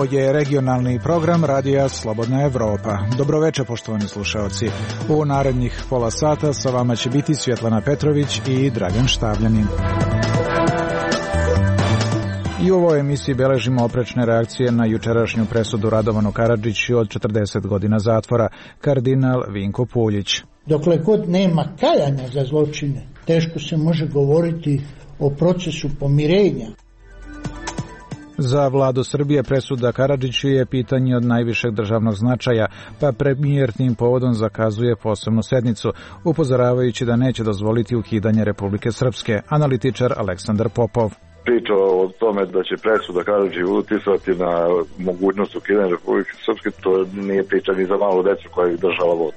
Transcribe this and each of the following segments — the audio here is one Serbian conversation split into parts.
Ovo je regionalni program Radija Slobodna Evropa. Dobroveče, poštovani slušaoci. U narednih pola sata sa vama će biti Svjetlana Petrović i Dragan Štavljanin. I u ovoj emisiji beležimo oprečne reakcije na jučerašnju presudu Radovanu Karadžiću od 40 godina zatvora, kardinal Vinko Puljić. Dokle god nema kajanja za zločine, teško se može govoriti o procesu pomirenja. Za vladu Srbije presuda Karadžiću je pitanje od najvišeg državnog značaja, pa premijer tim povodom zakazuje posebnu sednicu, upozoravajući da neće dozvoliti ukidanje Republike Srpske. Analitičar Aleksandar Popov. Priča o tome da će presuda Karadžiću uticati na mogućnost ukidanja Republike Srpske, to nije priča ni za malu decu koja ih država vodi.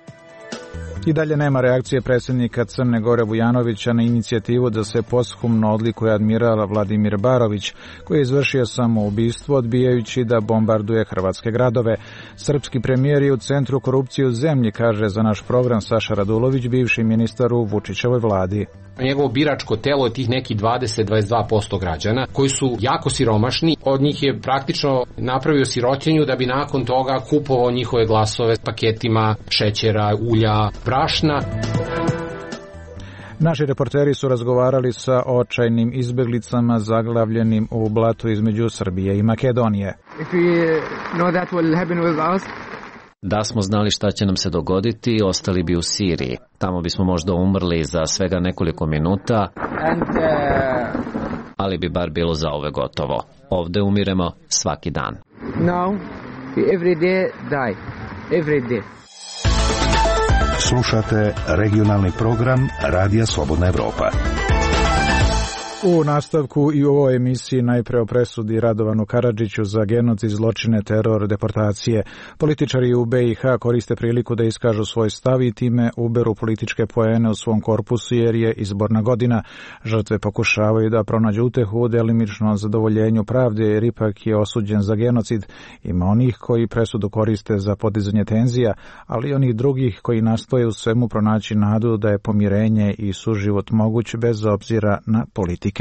I dalje nema reakcije predsjednika Crne Gore Vujanovića na inicijativu da se posthumno odlikuje admiral Vladimir Barović, koji je izvršio samoubistvo odbijajući da bombarduje hrvatske gradove. Srpski premijer je u centru korupcije u zemlji, kaže za naš program Saša Radulović, bivši ministar u Vučićevoj vladi. Njegovo biračko telo je tih neki 20-22% građana koji su jako siromašni. Od njih je praktično napravio sirotinju da bi nakon toga kupovao njihove glasove paketima šećera, ulja, brašna. Naši reporteri su razgovarali sa očajnim izbeglicama zaglavljenim u blatu između Srbije i Makedonije. Da smo znali šta će nam se dogoditi, ostali bi u Siriji. Tamo bismo možda umrli za svega nekoliko minuta, ali bi bar bilo za ove gotovo. Ovde umiremo svaki dan. Now, every day die. Every day. Slušate regionalni program Radija Slobodna Evropa. U nastavku i u ovoj emisiji najpre o presudi Radovanu Karadžiću za genocid, zločine, teror, deportacije. Političari u BiH koriste priliku da iskažu svoj stav i time uberu političke poene u svom korpusu jer je izborna godina. Žrtve pokušavaju da pronađu utehu u delimičnom zadovoljenju pravde jer ipak je osuđen za genocid. Ima onih koji presudu koriste za podizanje tenzija, ali i onih drugih koji nastoje u svemu pronaći nadu da je pomirenje i suživot moguć bez obzira na politiku.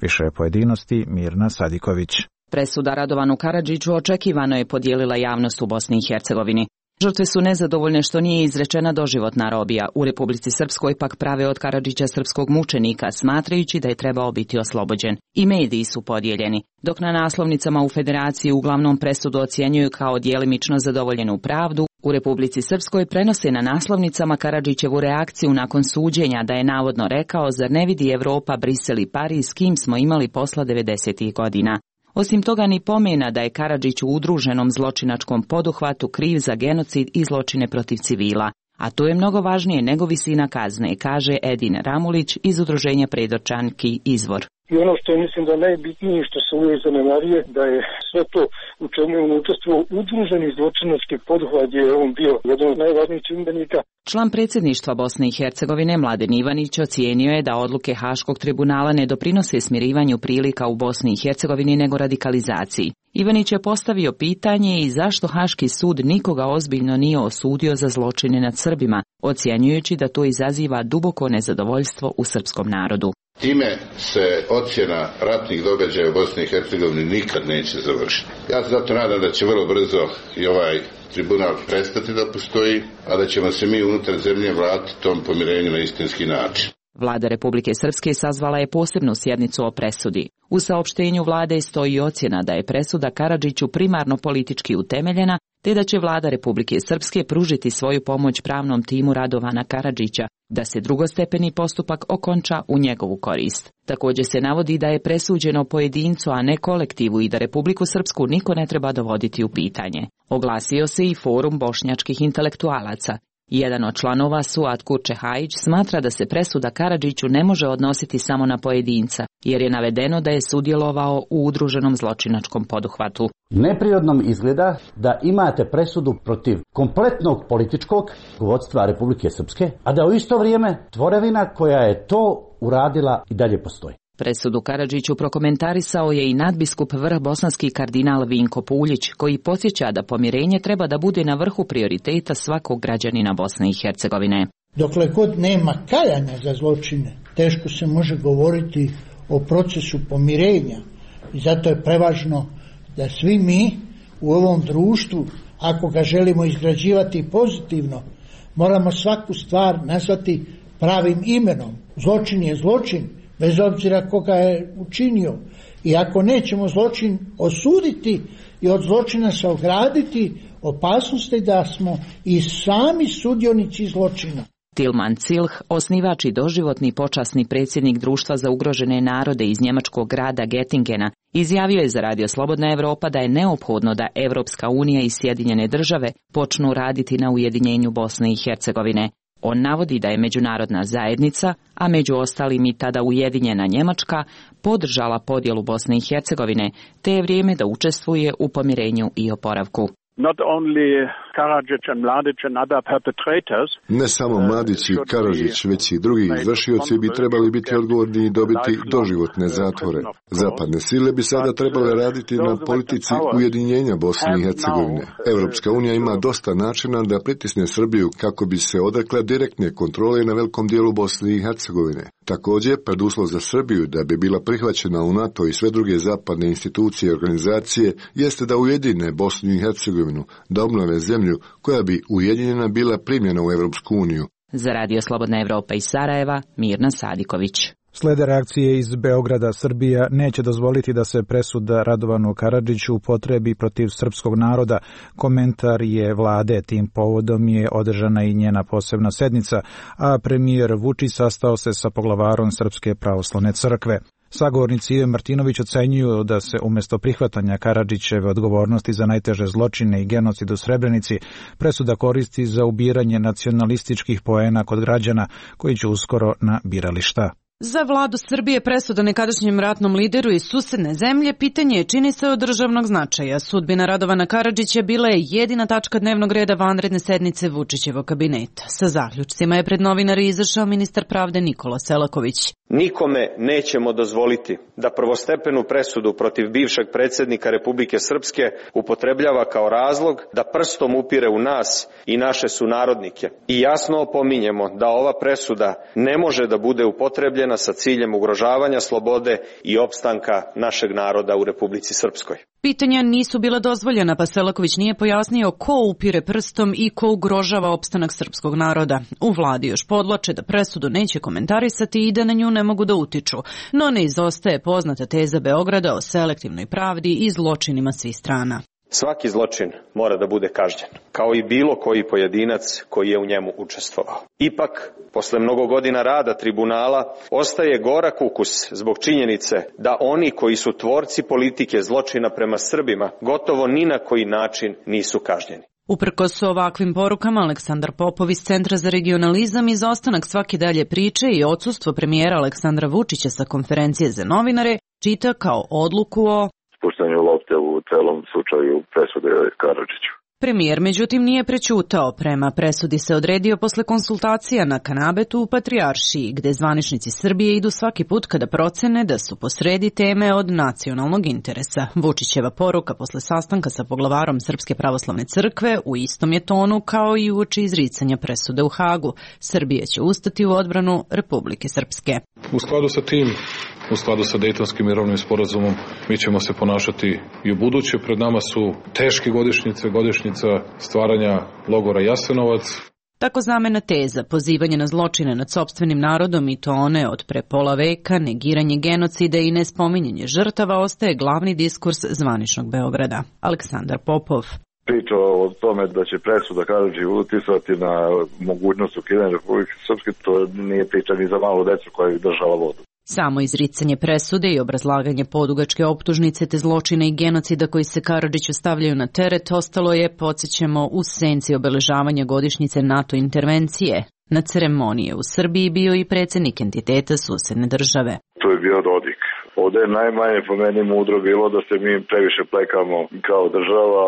Više pojedinosti Mirna Sadiković. Presuda Radovanu Karadžiću očekivano je podijelila javnost u Bosni i Hercegovini. Žrtve su nezadovoljne što nije izrečena doživotna robija. U Republici Srpskoj pak prave od Karadžića srpskog mučenika, smatrajući da je trebao biti oslobođen. I mediji su podijeljeni, dok na naslovnicama u Federaciji uglavnom presudu ocjenjuju kao djelimično zadovoljenu pravdu, u Republici Srpskoj prenose na naslovnicama Karadžićevu reakciju nakon suđenja da je navodno rekao: zar ne vidi Evropa, Brisel i Pariz s kim smo imali posla 90. godina. Osim toga ni pomena da je Karadžić u udruženom zločinačkom poduhvatu kriv za genocid i zločine protiv civila. A to je mnogo važnije nego visina kazne, kaže Edin Ramulić iz udruženja Predočanki Izvor. I ono što je mislim da najbitnije što se uvijek zanemarije, da je sve to u čemu je on učestvovao udruženi zločinački poduhvat, je on bio jedan od najvažnijih čimbenika. Član predsjedništva Bosne i Hercegovine Mladen Ivanić ocijenio je da odluke Haškog tribunala ne doprinose smirivanju prilika u Bosni i Hercegovini nego radikalizaciji. Ivanić je postavio pitanje i zašto Haški sud nikoga ozbiljno nije osudio za zločine nad Srbima, ocjenjujući da to izaziva duboko nezadovoljstvo u srpskom narodu. Time se ocjena ratnih događaja u Bosni i Hercegovini nikad neće završiti. Ja se zato nadam da će vrlo brzo i ovaj tribunal prestati da postoji, a da ćemo se mi unutar zemlje vratiti tom pomirenju na istinski način. Vlada Republike Srpske sazvala je posebnu sjednicu o presudi. U saopštenju vlade stoji ocjena da je presuda Karadžiću primarno politički utemeljena, te da će vlada Republike Srpske pružiti svoju pomoć pravnom timu Radovana Karadžića, da se drugostepeni postupak okonča u njegovu korist. Također se navodi da je presuđeno pojedincu, a ne kolektivu i da Republiku Srpsku niko ne treba dovoditi u pitanje. Oglasio se i Forum bošnjačkih intelektualaca. Jedan od članova, Suad Kurčehajić, smatra da se presuda Karadžiću ne može odnositi samo na pojedinca, jer je navedeno da je sudjelovao u udruženom zločinačkom poduhvatu. Neprirodnom izgleda da imate presudu protiv kompletnog političkog vodstva Republike Srpske, a da u isto vrijeme tvorevina koja je to uradila i dalje postoji. Presudu Karadžiću prokomentarisao je i nadbiskup vrh bosanski kardinal Vinko Puljić, koji podsjeća da pomirenje treba da bude na vrhu prioriteta svakog građanina Bosne i Hercegovine. Dokle god nema kajanja za zločine, teško se može govoriti o procesu pomirenja i zato je prevažno da svi mi u ovom društvu, ako ga želimo izgrađivati pozitivno, moramo svaku stvar nazvati pravim imenom. Zločin je zločin, bez obzira koga je učinio. I ako nećemo zločin osuditi i od zločina se ograditi, opasnost je da smo i sami sudionici zločina. Tilman Cilh, osnivač i doživotni počasni predsjednik Društva za ugrožene narode iz njemačkog grada Gettingena, izjavio je za Radio Slobodna Evropa da je neophodno da Evropska unija i Sjedinjene države počnu raditi na ujedinjenju Bosne i Hercegovine. On navodi da je međunarodna zajednica, a među ostalim i tada ujedinjena Njemačka, podržala podjelu Bosne i Hercegovine, te je vrijeme da učestvuje u pomirenju i oporavku. Ne samo Mladić i Karadžić, već i drugi izvršioci bi trebali biti odgovorni i dobiti doživotne zatvore. Zapadne sile bi sada trebale raditi na politici ujedinjenja Bosne i Hercegovine. Evropska unija ima dosta načina da pritisne Srbiju kako bi se odrekla direktne kontrole na velikom dijelu Bosne i Hercegovine. Također, preduslov za Srbiju da bi bila prihvaćena u NATO i sve druge zapadne institucije i organizacije jeste da ujedine Bosnu i Hercegovinu, da obnove zemlju koja bi ujedinjena bila primljena u Evropsku uniju. Za Radio Slobodna Evropa iz Sarajeva, Mirna Sadiković. Slede reakcije iz Beograda. Srbija neće dozvoliti da se presuda Radovanu Karadžiću upotrebi protiv srpskog naroda. Komentar je vlade. Tim povodom je održana i njena posebna sednica, a premijer Vučić sastao se sa poglavarom Srpske pravoslavne crkve. Sagovornici Ive Martinović ocenjuju da se umjesto prihvatanja Karadžićeve odgovornosti za najteže zločine i genocid u Srebrenici presuda koristi za ubiranje nacionalističkih poena kod građana koji će uskoro na birališta. Za vladu Srbije presuda nekadašnjem ratnom lideru iz susedne zemlje pitanje je, čini se, od državnog značaja. Sudbina Radovana Karadžića bila je jedina tačka dnevnog reda vanredne sednice Vučićevog kabineta. Sa zaključcima je pred novinare izašao ministar pravde Nikola Selaković. Nikome nećemo dozvoliti da prvostepenu presudu protiv bivšeg predsjednika Republike Srpske upotrebljava kao razlog da prstom upire u nas i naše sunarodnike. I jasno opominjemo da ova presuda ne može da bude upotrebljena sa ciljem ugrožavanja slobode i opstanka našeg naroda u Republici Srpskoj. Pitanja nisu bila dozvoljena, pa Selaković nije pojasnio ko upire prstom i ko ugrožava opstanak srpskog naroda. U vladi još podvlače da presudu neće komentarisati i da na nju ne mogu da utiču, no ne izostaje poznata teza Beograda o selektivnoj pravdi i zločinima svih strana. Svaki zločin mora da bude kažnjen, kao i bilo koji pojedinac koji je u njemu učestvovao. Ipak, posle mnogo godina rada tribunala, ostaje gorak ukus zbog činjenice da oni koji su tvorci politike zločina prema Srbima gotovo ni na koji način nisu kažnjeni. Uprkos ovakvim porukama, Aleksandar Popov iz Centra za regionalizam izostanak svake dalje priče i odsustvo premijera Aleksandra Vučića sa konferencije za novinare čita kao odluku o spuštanju lopte u celom slučaju presude Karadžiću. Premijer, međutim, nije prećutao. Prema presudi se odredio posle konsultacija na Kanabetu u Patrijaršiji, gde zvaničnici Srbije idu svaki put kada procene da su posredi teme od nacionalnog interesa. Vučićeva poruka posle sastanka sa poglavarom Srpske pravoslavne crkve u istom je tonu kao i uoči izricanja presude u Hagu. Srbija će ustati u odbranu Republike Srpske. U skladu sa tim, u skladu sa Dejtonskim mirovnim sporazumom, mi ćemo se ponašati i u buduće. Pred nama su teške godišnjica stvaranja logora Jasenovac. Tako zamena teza, pozivanje na zločine nad sopstvenim narodom i to one od pre pola veka, negiranje genocida i nespominjanje žrtava ostaje glavni diskurs zvaničnog Beograda. Aleksandar Popov. Priča o tome da će presuda Karadžiću uticati na mogućnost ukidanja Republike Srpske, to nije priča ni za malu decu koja je držala vodu. Samo izricanje presude i obrazlaganje podugačke optužnice te zločina i genocida koji se Karadžiću stavljaju na teret ostalo je, podsjećamo, u senci obeležavanja godišnjice NATO intervencije. Na ceremonije u Srbiji bio i predsjednik entiteta susedne države. To je bio Dodik. Ovdje je najmanje po meni mudro bilo da se mi previše plekamo kao država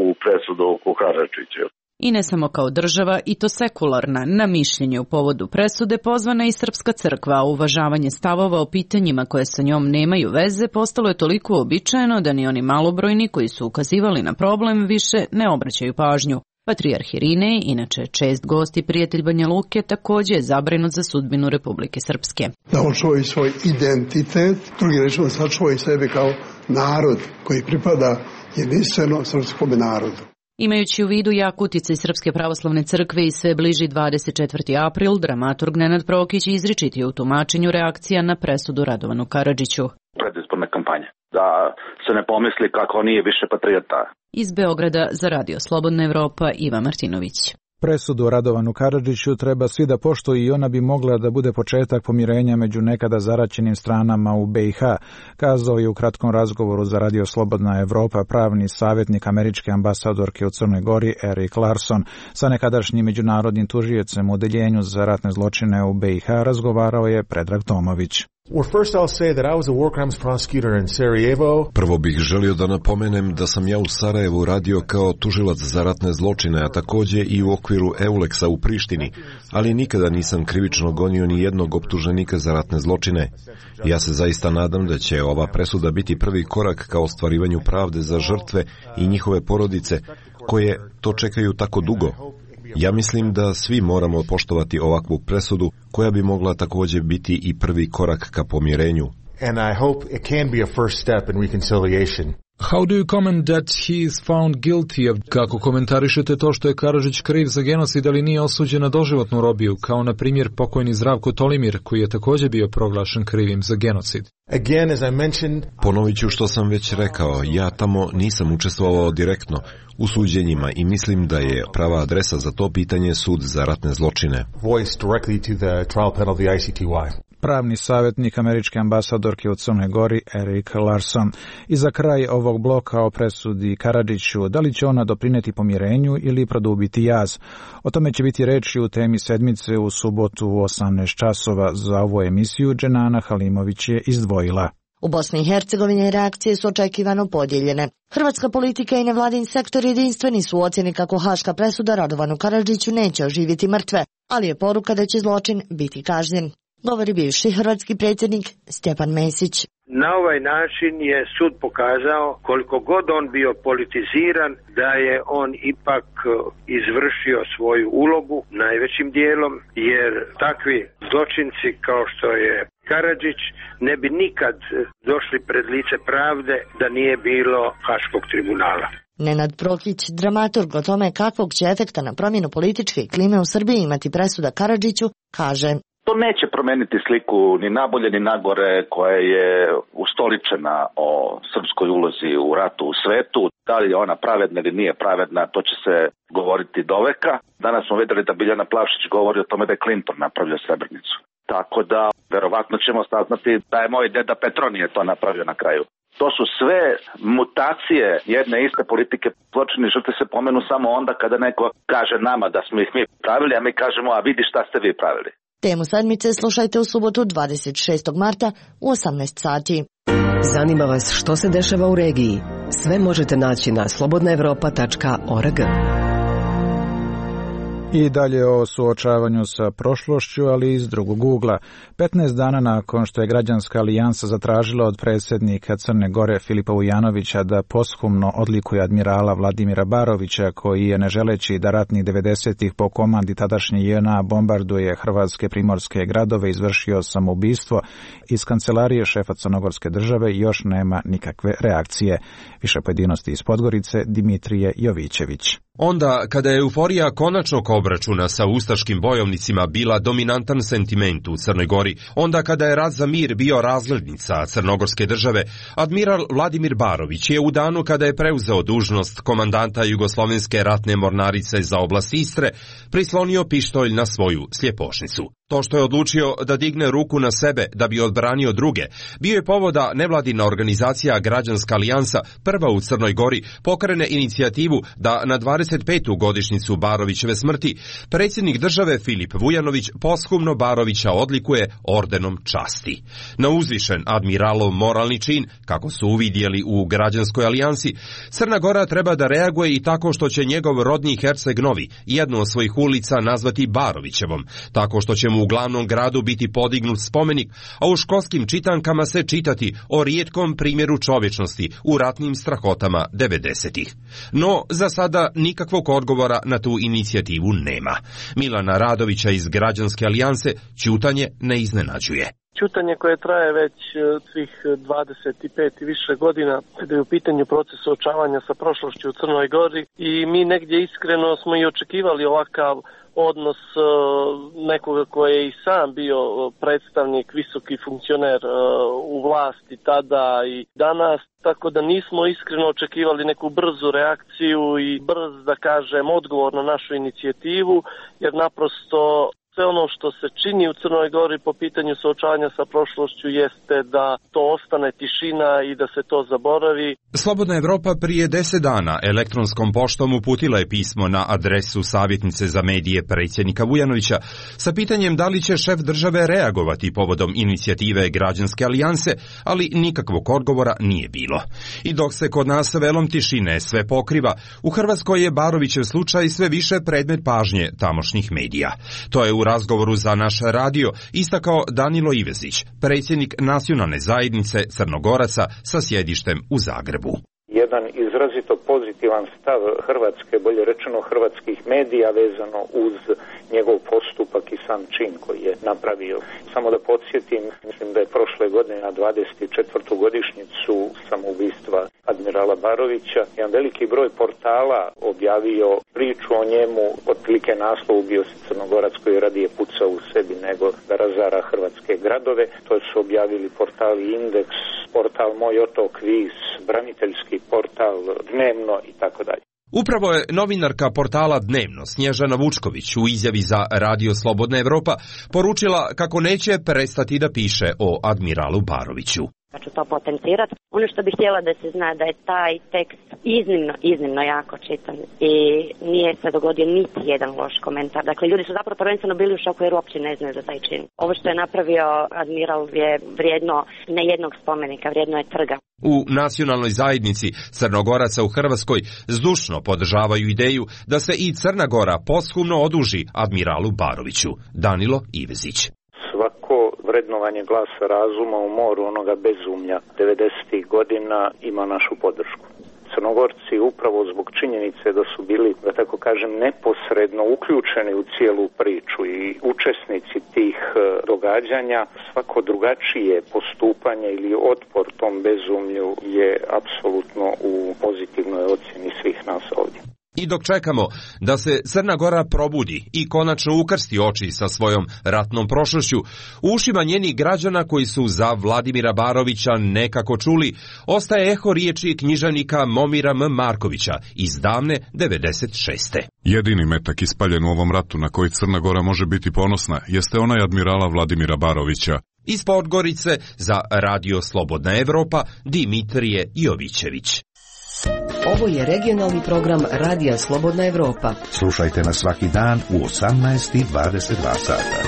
u presudu oko Karadžića. I ne samo kao država, i to sekularna. Na mišljenje u povodu presude pozvana i Srpska crkva, a uvažavanje stavova o pitanjima koje sa njom nemaju veze postalo je toliko uobičajeno da ni oni malobrojni koji su ukazivali na problem više ne obraćaju pažnju. Patrijarh Irinej, inače čest gost i prijatelj Banja Luke, također je zabrinut za sudbinu Republike Srpske. Da on čuva svoj identitet, drugi rečemo sačuva i sebe kao narod koji pripada jedinstveno srpskom narodu. Imajući u vidu jak uticaj Srpske pravoslavne crkve i sve bliži 24. april, dramaturg Nenad Prokić izričit je u tumačenju reakcija na presudu Radovanu Karadžiću. Predizborne kampanje, da se ne pomisli kako nije više patriota. Iz Beograda za Radio Slobodna Evropa, Iva Martinović. Presudu Radovanu Karadžiću treba svi da poštuju i ona bi mogla da bude početak pomirenja među nekada zaraćenim stranama u BiH, kazao je u kratkom razgovoru za Radio Slobodna Evropa pravni savjetnik američke ambasadorke u Crnoj Gori Erik Larson. Sa nekadašnjim međunarodnim tužiocem u Odeljenju za ratne zločine u BiH razgovarao je Predrag Tomović. Prvo bih želio da napomenem da sam ja u Sarajevu radio kao tužilac za ratne zločine, a takođe i u okviru Euleksa u Prištini, ali nikada nisam krivično gonio ni jednog optuženika za ratne zločine. Ja se zaista nadam da će ova presuda biti prvi korak ka ostvarivanju pravde za žrtve i njihove porodice, koje to čekaju tako dugo. Ja mislim da svi moramo poštovati ovakvu presudu koja bi mogla također biti i prvi korak ka pomirenju. And I hope it can be a first step in reconciliation. How do you comment that he is found guilty of... Kako komentarišete to što je Karadžić kriv za genocid, ali nije osuđen na doživotnu robiju, kao na primjer pokojni Zdravko Tolimir, koji je također bio proglašen krivim za genocid? Again, as I mentioned... Ponovit ću što sam već rekao, ja tamo nisam učestvovao direktno u suđenjima i mislim da je prava adresa za to pitanje sud za ratne zločine. Voice directly to the trial panel of the ICTY. Pravni savjetnik američke ambasadorke u Crnoj Gori Erik Larson. I za kraj ovog bloka o presudi Karadžiću, da li će ona doprineti pomirenju ili produbiti jaz? O tome će biti reči u temi sedmice u subotu u 18 časova. Za ovu emisiju Dženana Halimović je izdvojila. U Bosni i Hercegovini reakcije su očekivano podijeljene. Hrvatska politika i nevladin sektor jedinstveni su u ocjeni kako haška presuda Radovanu Karadžiću neće oživjeti mrtve, ali je poruka da će zločin biti kažnjen. Govori bivši hrvatski predsjednik Stjepan Mesić. Na ovaj način je sud pokazao, koliko god on bio politiziran, da je on ipak izvršio svoju ulogu najvećim dijelom, jer takvi zločinci kao što je Karadžić ne bi nikad došli pred lice pravde da nije bilo Haškog tribunala. Nenad Prokić, dramaturg o tome kakvog će efekta na promjenu političke klime u Srbiji imati presuda Karadžiću, kaže: To neće promeniti sliku ni nabolje ni nagore koja je ustoličena o srpskoj ulozi u ratu u svetu. Da li je ona pravedna ili nije pravedna, to će se govoriti doveka. Danas smo vidjeli da Biljana Plavšić govori o tome da je Clinton napravio Srebrenicu. Tako da, verovatno ćemo saznati da je moj deda Petronije to napravio na kraju. To su sve mutacije jedne iste politike. Zločini žrtve se pomenu samo onda kada neko kaže nama da smo ih mi pravili, a mi kažemo, a vidi šta ste vi pravili. Temu sedmice slušajte u subotu 26. marta u 18 sati. Zanima vas što se dešava u regiji? Sve možete naći na slobodnaevropa.org. I dalje o suočavanju sa prošlošću, ali iz drugog ugla. 15 dana nakon što je Građanska alijansa zatražila od predsjednika Crne Gore Filipa Vujanovića da posthumno odlikuje admirala Vladimira Barovića, koji je, ne želeći da ratnih 90-ih po komandi tadašnje JNA bombarduje hrvatske primorske gradove, izvršio samoubistvo, iz kancelarije šefa crnogorske države još nema nikakve reakcije. Više pojedinosti iz Podgorice, Dimitrije Jovićević. Onda, kada je euforija konačnog obračuna sa ustaškim bojovnicima bila dominantan sentiment u Crnoj Gori, onda kada je rat za mir bio razglednica crnogorske države, admiral Vladimir Barović je u danu kada je preuzeo dužnost komandanta Jugoslovenske ratne mornarice za oblast Istre, prislonio pištolj na svoju sljepošnicu. To što je odlučio da digne ruku na sebe da bi odbranio druge, bio je povoda nevladina organizacija Građanska alijansa, prva u Crnoj Gori, pokrene inicijativu da na 25. godišnjicu Barovićeve smrti predsjednik države Filip Vujanović posthumno Barovića odlikuje ordenom časti. Na uzvišen admiralov moralni čin, kako su uvidjeli u Građanskoj alijansi, Crna Gora treba da reaguje i tako što će njegov rodni Herceg Novi jednu od svojih ulica nazvati Barovićevom, tako što će mu u glavnom gradu biti podignut spomenik, a u školskim čitankama se čitati o rijetkom primjeru čovječnosti u ratnim strahotama 90-ih. No, za sada nikakvog odgovora na tu inicijativu nema. Milana Radovića iz Građanske alijanse ćutanje ne iznenađuje. ćutanje koje traje već svih 25 i više godina kada je u pitanju proces suočavanja sa prošlošću u Crnoj Gori i mi negdje iskreno smo i očekivali ovakav odnos nekoga koji je i sam bio predstavnik, visoki funkcioner u vlasti tada i danas, tako da nismo iskreno očekivali neku brzu reakciju i brz, da kažem, odgovor na našu inicijativu, jer naprosto sve ono što se čini u Crnoj Gori po pitanju suočavanja sa prošlošću jeste da to ostane tišina i da se to zaboravi. Slobodna Evropa prije 10 dana elektronskom poštom uputila je pismo na adresu savjetnice za medije predsjednika Vujanovića sa pitanjem da li će šef države reagovati povodom inicijative Građanske alijanse, ali nikakvog odgovora nije bilo. I dok se kod nas velom tišine sve pokriva, u Hrvatskoj je Barovićev slučaj sve više predmet pažnje tamošnjih medija. To je u razgovoru za naš radio istakao Danilo Ivezić, predsjednik nacionalne zajednice Crnogoraca sa sjedištem u Zagrebu. Jedan izrazito pozitivan stav Hrvatske, bolje rečeno hrvatskih medija vezano uz njegov postupak i sam čin koji je napravio. Samo da podsjetim, mislim da je prošle godine na 24. godišnjicu samoubistva admirala Barovića jedan veliki broj portala objavio priču o njemu, otprilike naslov bio se Crnogorac koji radije puca u sebi nego da razara hrvatske gradove. To su objavili portali Indeks, portal Moj otok Vis, braniteljski portal Dnevno i tako dalje. Upravo je novinarka portala Dnevno Snježana Vučković u izjavi za Radio Slobodna Evropa poručila kako neće prestati da piše o admiralu Baroviću. Pa ću to potencirati. Ono što bih htjela da se zna da je taj tekst iznimno jako čitan i nije se dogodio niti jedan loš komentar. Dakle, ljudi su zapravo prvenstveno bili u šoku jer uopće ne znaju za taj čin. Ovo što je napravio admiral je vrijedno ne jednog spomenika, vrijedno je trga. U nacionalnoj zajednici Crnogoraca u Hrvatskoj zdušno podržavaju ideju da se i Crna Gora posthumno oduži admiralu Baroviću. Danilo Ivezić. Svako vrednovanje glasa razuma u moru onoga bezumlja 90. godina ima našu podršku. Crnogorci upravo zbog činjenice da su bili, da tako kažem, neposredno uključeni u cijelu priču i učesnici tih događanja, svako drugačije postupanje ili otpor tom bezumlju je apsolutno u pozitivnoj ocjeni svih nas ovdje. I dok čekamo da se Crna Gora probudi i konačno ukrsti oči sa svojom ratnom prošlošću, u ušima njenih građana koji su za Vladimira Barovića nekako čuli, ostaje eho riječi književnika Momira M. Markovića iz davne 96. Jedini metak ispaljen u ovom ratu na koji Crna Gora može biti ponosna jeste onaj admirala Vladimira Barovića. Iz Podgorice za Radio Slobodna Evropa Dimitrije Jovićević. Ovo je regionalni program Radija Slobodna Evropa. Slušajte nas svaki dan u 18:22 sata.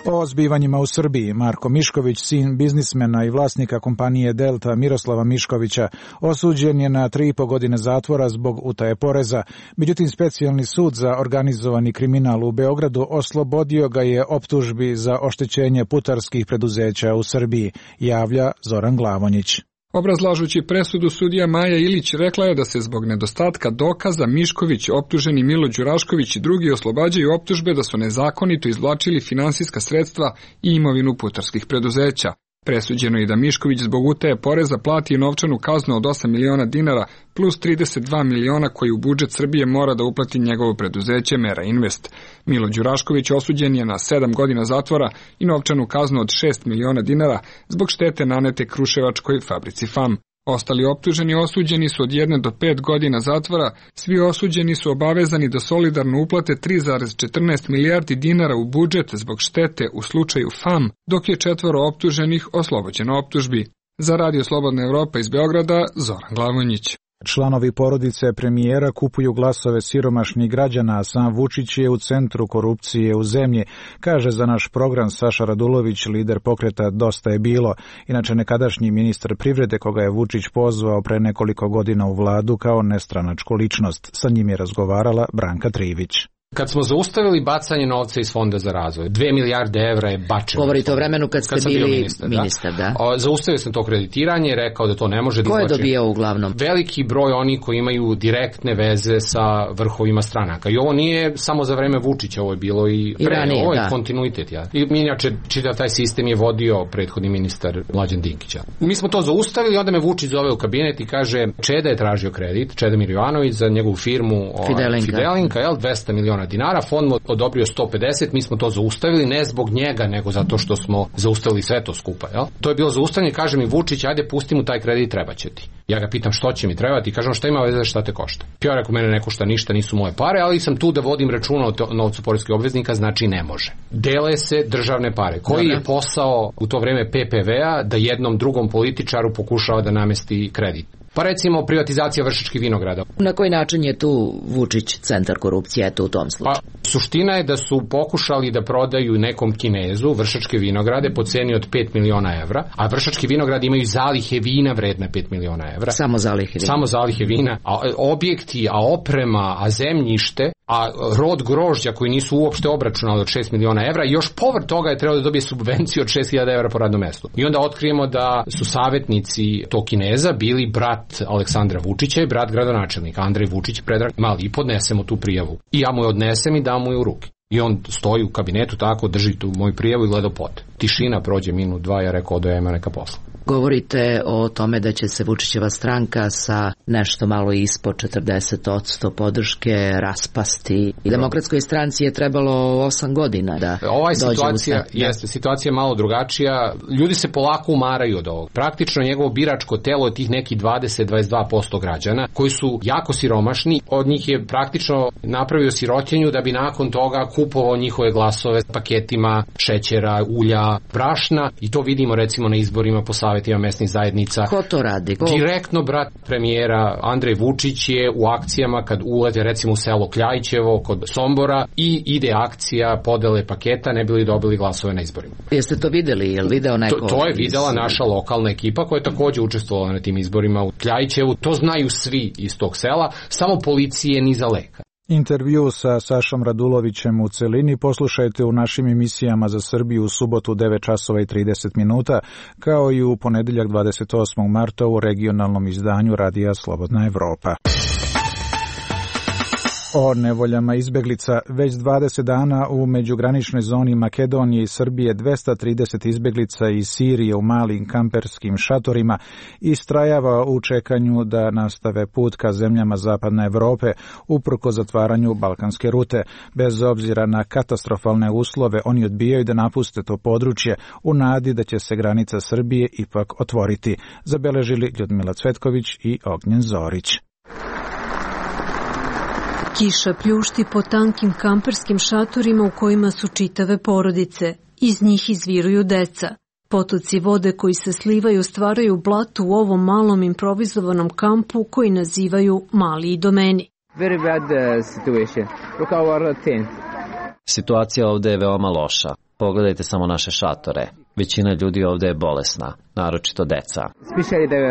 O zbivanjima u Srbiji, Marko Mišković, sin biznismena i vlasnika kompanije Delta Miroslava Miškovića, osuđen je na 3,5 godine zatvora zbog utaje poreza. Međutim, specijalni sud za organizovani kriminal u Beogradu oslobodio ga je optužbi za oštećenje putarskih preduzeća u Srbiji, javlja Zoran Glavonjić. Obrazlažući presudu, sudija Maja Ilić rekla je da se zbog nedostatka dokaza Mišković, optuženi Milo Đurašković i drugi oslobađaju optužbe da su nezakonito izvlačili finansijska sredstva i imovinu putarskih preduzeća. Presuđeno je da Mišković zbog utaje poreza plati novčanu kaznu od 8 miliona dinara plus 32 miliona koji u budžet Srbije mora da uplati njegovo preduzeće Mera Invest. Milo Đurašković osuđen je na 7 godina zatvora i novčanu kaznu od 6 miliona dinara zbog štete nanete kruševačkoj fabrici FAM. Ostali optuženi osuđeni su od 1 do 5 godina zatvora, svi osuđeni su obavezani da solidarno uplate 3,14 milijardi dinara u budžet zbog štete u slučaju FAM, dok je 4 optuženih oslobođeno optužbi. Za Radio Slobodna Evropa iz Beograda, Zoran Glavonjić. Članovi porodice premijera kupuju glasove siromašnih građana, a sam Vučić je u centru korupcije u zemlji, kaže za naš program Saša Radulović, lider pokreta Dosta je bilo, inače nekadašnji ministar privrede koga je Vučić pozvao pre nekoliko godina u vladu kao nestranačku ličnost. Sa njim je razgovarala Branka Trivić. Kad smo zaustavili bacanje novca iz Fonda za razvoj, 2 milijarde evra je bačeno. Govorite o vremenu kad ste bili ministar, da? Zaustavio sam to kreditiranje, rekao da to ne može da izvlači. Ko je dobijao uglavnom? Veliki broj oni koji imaju direktne veze sa vrhovima stranaka. I ovo nije samo za vreme Vučića, ovo je bilo i pre. Ranije, ovo je kontinuitet. Ja. I inače, čitav taj sistem je vodio prethodni ministar Mlađan Dinkić. Mi smo to zaustavili, onda me Vučić zove u kabinet i kaže, Čeda je tražio kredit, Čeda Mirjovanović za njegovu firmu Fidelinka, 200 miliona dinara, fond mu odobrio 150, mi smo to zaustavili, ne zbog njega, nego zato što smo zaustavili sve to skupa. Jel? To je bilo zaustavljanje, kaže mi Vučić, ajde pusti mu taj kredit, treba će ti. Ja ga pitam što će mi trebati, kažem šta ima veze, šta te košta. Ja rekao, mene ne košta ništa, nisu moje pare, ali sam tu da vodim računa o novcu poreskih obveznika, znači ne može. Dele se državne pare. Koji je posao u to vreme PPV-a da jednom drugom političaru pokušava da namesti kredit? Pa recimo privatizacija Vršačkih vinograda. Na koji način je tu Vučić centar korupcije u tom slučaju? Pa suština je da su pokušali da prodaju nekom Kinezu Vršačke vinograde po ceni od 5 miliona evra, a Vršački vinogradi imaju zalihe vina vredne 5 miliona evra. Samo zalihe vina. Samo zalihe vina, a objekti, a oprema, a zemljište, a rod grožđa koji nisu uopšte obračunali od 6 miliona evra i još povrh toga je trebalo da dobije subvenciju od 6.000 evra po radnom mestu. I onda otkrijemo da su savjetnici tog Kineza bili brat Aleksandra Vučića i brat gradonačelnika Andrej Vučić, Predrag Mali, i podnesemo tu prijavu. I ja mu je odnesem i dam mu je u ruke. I on stoji u kabinetu tako, drži tu moju prijavu i gleda pod. Tišina, prođe minut, dva, ja rekao da ima neka posla. Govorite o tome da će se Vučićeva stranka sa nešto malo ispod 40% podrške raspasti. I Demokratskoj stranci je trebalo 8 godina da situacija je malo drugačija. Ljudi se polako umaraju od ovog. Praktično njegovo biračko telo je tih neki 20-22% građana koji su jako siromašni. Od njih je praktično napravio sirotinju da bi nakon toga kupovao njihove glasove paketima šećera, ulja, brašna i to vidimo recimo na izborima po savjetima mesnih zajednica. Ko to radi? Direktno brat premijera Andrej Vučić je u akcijama kad ulete recimo u selo Kljajićevo kod Sombora i ide akcija podele paketa ne bili dobili glasove na izborima. Jeste to videli? Je li video neko? To je videla naša lokalna ekipa koja je također učestvovala na tim izborima u Kljajićevu. To znaju svi iz tog sela, samo policije ni za leka. Intervju sa Sašom Radulovićem u celini poslušajte u našim emisijama za Srbiju u subotu 9 časova i 30 minuta, kao i u ponedeljak 28. marta u regionalnom izdanju Radija Slobodna Evropa. O nevoljama izbeglica. Već 20 dana u međugraničnoj zoni Makedonije i Srbije 230 izbeglica iz Sirije u malim kamperskim šatorima istrajava u čekanju da nastave put ka zemljama zapadne Evrope uprko zatvaranju balkanske rute. Bez obzira na katastrofalne uslove, oni odbijaju da napuste to područje u nadi da će se granica Srbije ipak otvoriti, zabeležili Ljudmila Cvetković i Ognjen Zorić. Kiša pljušti po tankim kamperskim šatorima u kojima su čitave porodice. Iz njih izviruju deca. Potoci vode koji se slivaju stvaraju blatu u ovom malom improvizovanom kampu koji nazivaju Mali Idomeni. Very bad situation. Look our tent. Situacija ovdje je veoma loša. Pogledajte samo naše šatore. Većina ljudi ovdje je bolesna, naročito deca. Especially the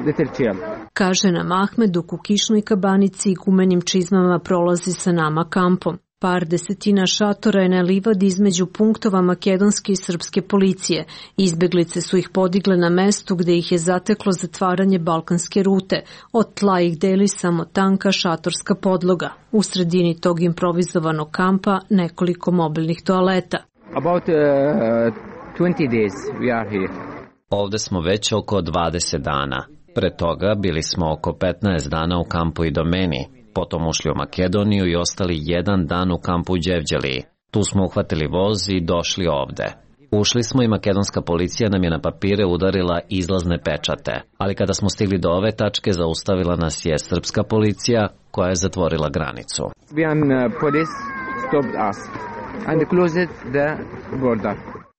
little children. Kaže nam Ahmed dok u kišnoj kabanici i gumenim čizmama prolazi sa nama kampom. Par desetina šatora je na livadi između punktova makedonske i srpske policije. Izbeglice su ih podigle na mestu gde ih je zateklo zatvaranje balkanske rute. Od tla ih deli samo tanka šatorska podloga. U sredini tog improvizovanog kampa nekoliko mobilnih toaleta. About 20 days we are here. Ovde smo već oko 20 dana. Pre toga bili smo oko 15 dana u kampu Idomeni, potom ušli u Makedoniju i ostali 1 dan u kampu Đevđeliji. Tu smo uhvatili voz i došli ovde. Ušli smo i makedonska policija nam je na papire udarila izlazne pečate, ali kada smo stigli do ove tačke zaustavila nas je srpska policija koja je zatvorila granicu. Police stopped us and closed the border.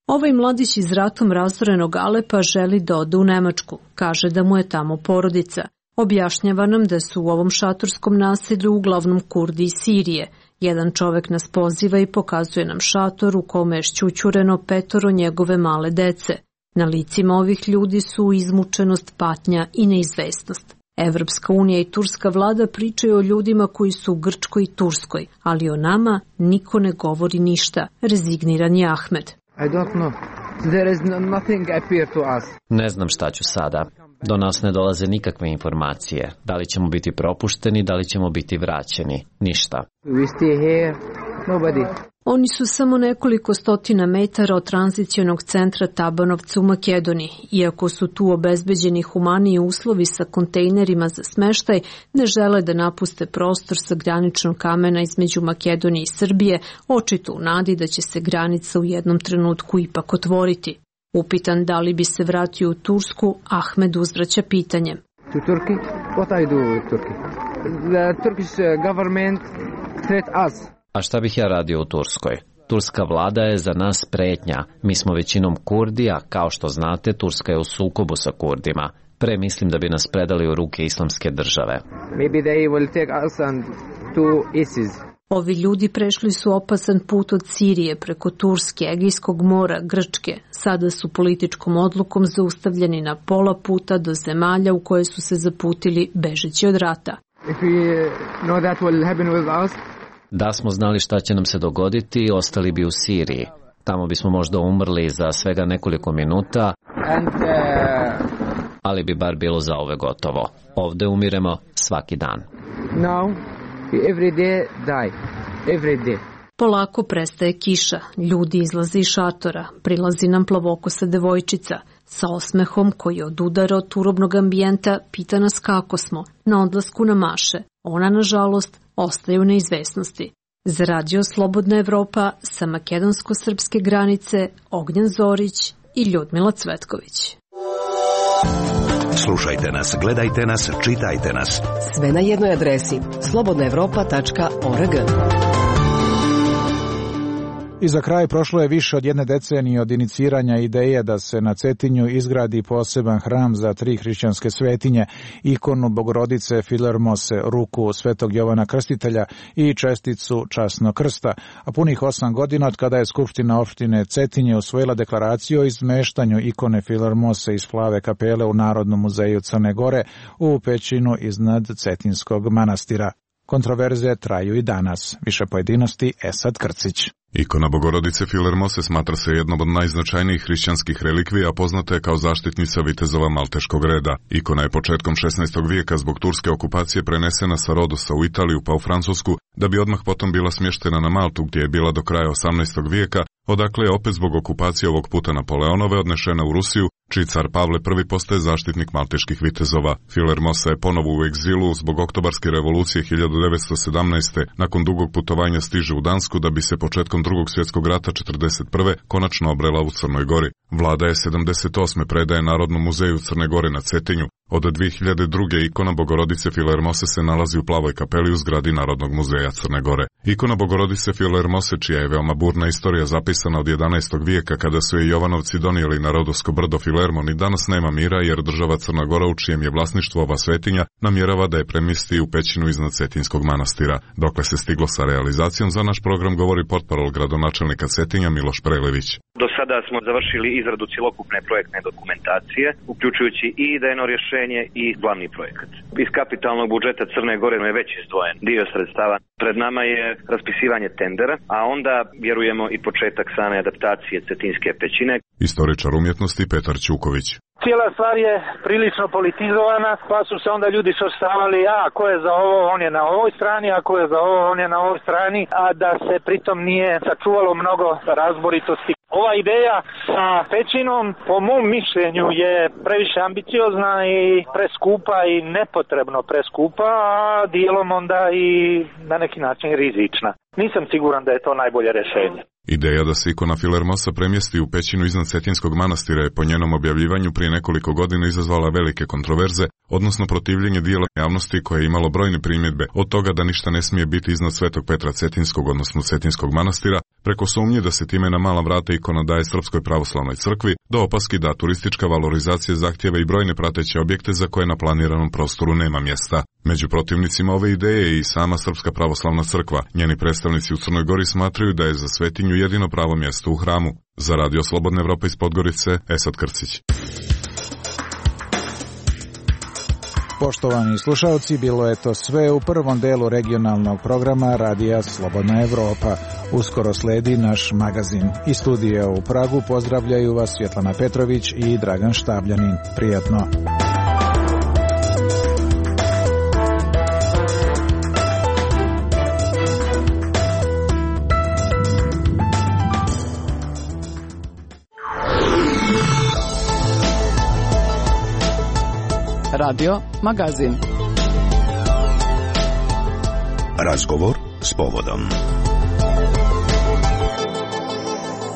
Ovaj mladić iz ratom razorenog Alepa želi da ode u Nemačku. Kaže da mu je tamo porodica. Objašnjava nam da su u ovom šatorskom naselju uglavnom Kurdi iz Sirije. Jedan čovek nas poziva i pokazuje nam šator u kome je šćućureno 5 njegove male dece. Na licima ovih ljudi su izmučenost, patnja i neizvesnost. Evropska unija i turska vlada pričaju o ljudima koji su u Grčkoj i Turskoj, ali o nama niko ne govori ništa, rezigniran je Ahmed. I don't know. There is nothing appear to us. Ne znam šta ću sada. Do nas ne dolaze nikakve informacije. Da li ćemo biti propušteni, da li ćemo biti vraćeni. Ništa. We stay here. Nobody. Oni su samo nekoliko stotina metara od tranzicionog centra Tabanovca u Makedoniji. Iako su tu obezbeđeni humaniji uslovi sa kontejnerima za smeštaj, ne žele da napuste prostor sa graničnog kamena između Makedonije i Srbije, očito u nadi da će se granica u jednom trenutku ipak otvoriti. Upitan da li bi se vratio u Tursku, Ahmed uzvraća pitanjem. To Turkey? What I do with Turkey? The Turkish government threat us. A šta bih ja radio u Turskoj? Turska vlada je za nas pretnja. Mi smo većinom Kurdi, a kao što znate, Turska je u sukobu sa Kurdima. Pre mislim da bi nas predali u ruke islamske države. Maybe they will take us and to ISIS. Ovi ljudi prešli su opasan put od Sirije preko Turske, Egejskog mora, Grčke. Sada su političkom odlukom zaustavljeni na pola puta do zemalja u koje su se zaputili bežeći od rata. If we know that will happen with us, da smo znali šta će nam se dogoditi, ostali bi u Siriji. Tamo bismo možda umrli za svega nekoliko minuta, ali bi bar bilo zauvek gotovo. Ovde umiremo svaki dan. Now, every day die. Every day. Polako prestaje kiša, ljudi izlaze iz šatora, prilazi nam plavokosa devojčica. Sa osmehom koji odudara od turobnog ambijenta pita nas kako smo, na odlasku na maše. Ona, nažalost, ostaje u neizvesnosti. Za Radio Slobodna Evropa sa makedonsko-srpske granice Ognjen Zorić i Ljudmila Cvetković. Slušajte nas, gledajte nas, čitajte nas. Sve na jednoj adresi slobodnaevropa.org. I za kraj, prošlo je više od 1 decenije od iniciranja ideje da se na Cetinju izgradi poseban hram za 3 hrišćanske svetinje, ikonu Bogorodice Filermose, ruku Svetog Jovana Krstitelja i česticu Časnog krsta, a punih 8 godina od kada je Skupština opštine Cetinje usvojila deklaraciju o izmeštanju ikone Filermose iz Plave kapele u Narodnom muzeju Crne Gore u pećinu iznad Cetinskog manastira. Kontroverze traju i danas. Više pojedinosti Esad Krcić. Ikona Bogorodice Filermose smatra se jednom od najznačajnijih hrišćanskih relikvija, poznata je kao zaštitnica vitezova malteškog reda. Ikona je početkom 16. vijeka zbog turske okupacije prenesena sa Rodosa u Italiju pa u Francusku, da bi odmah potom bila smještena na Maltu gdje je bila do kraja 18. vijeka, odakle je opet zbog okupacije ovog puta Napoleonove odnešena u Rusiju, čiji car Pavle I postaje zaštitnik malteških vitezova. Filermosa je ponovo u egzilu zbog oktobarske revolucije 1917. Nakon dugog putovanja stiže u Dansku da bi se početkom Drugog svjetskog rata 1941. konačno obrela u Crnoj Gori. Vlada je 78. predaje Narodnom muzeju Crne Gore na Cetinju. Od 2002. ikona Bogorodice Filermose se nalazi u Plavoj kapeli u zgradi Narodnog muzeja Crne Gore. Ikona Bogorodice Filermose, čija je veoma burna istorija zapisana od 11. vijeka kada su je Jovanovci donijeli na Rodosko brdo Filermon, i danas nema mira jer država Crna Gora, u čijem je vlasništvo ova svetinja, namjerava da je premjesti u pećinu iznad Cetinskog manastira. Dokle se stiglo sa realizacijom, za naš program govori portparol gradonačelnika Cetinja Miloš Prelević. Do sada smo završili izradu cjelokupne projektne dokumentacije, uključujući i idejno rješenje i glavni projekat. Iz kapitalnog budžeta Crne Gore je već izdvojen dio sredstava. Pred nama je raspisivanje tendera, a onda vjerujemo i početak same adaptacije Cetinske pećine. Istoričar umjetnosti Petar Ćuković. Cijela stvar je prilično politizovana, pa su se onda ljudi svrstavali, ko je za ovo, on je na ovoj strani, a ko je za ovo, on je na ovoj strani, a da se pritom nije sačuvalo mnogo razboritosti. Ova ideja sa pećinom, po mom mišljenju, je previše ambiciozna i preskupa i nepotrebno preskupa, a dijelom onda i na neki način rizična. Nisam siguran da je to najbolje rješenje. Ideja da se ikona Filermosa premjesti u pećinu iznad Cetinskog manastira je po njenom objavljivanju prije nekoliko godina izazvala velike kontroverze, odnosno protivljenje dijela javnosti koje je imalo brojne primjedbe, od toga da ništa ne smije biti iznad Svetog Petra Cetinskog, odnosno Cetinskog manastira, preko sumnje da se time na mala vrata ikona daje Srpskoj pravoslavnoj crkvi, do opaski da turistička valorizacija zahtjeva i brojne prateće objekte za koje na planiranom prostoru nema mjesta. Među protivnicima ove ideje je i sama Srpska pravoslavna crkva. Njeni predstavnici u Crnoj Gori smatraju da je za svetinju jedino pravo mjesto u hramu. Za Radio Slobodna Evropa iz Podgorice, Esad Krcić. Poštovani slušalci, bilo je to sve u prvom delu regionalnog programa Radija Slobodna Evropa. Uskoro sledi naš magazin. Iz studija u Pragu pozdravljaju vas Svjetlana Petrović i Dragan Štabljanin. Prijatno. Radio Magazin. Razgovor s povodom.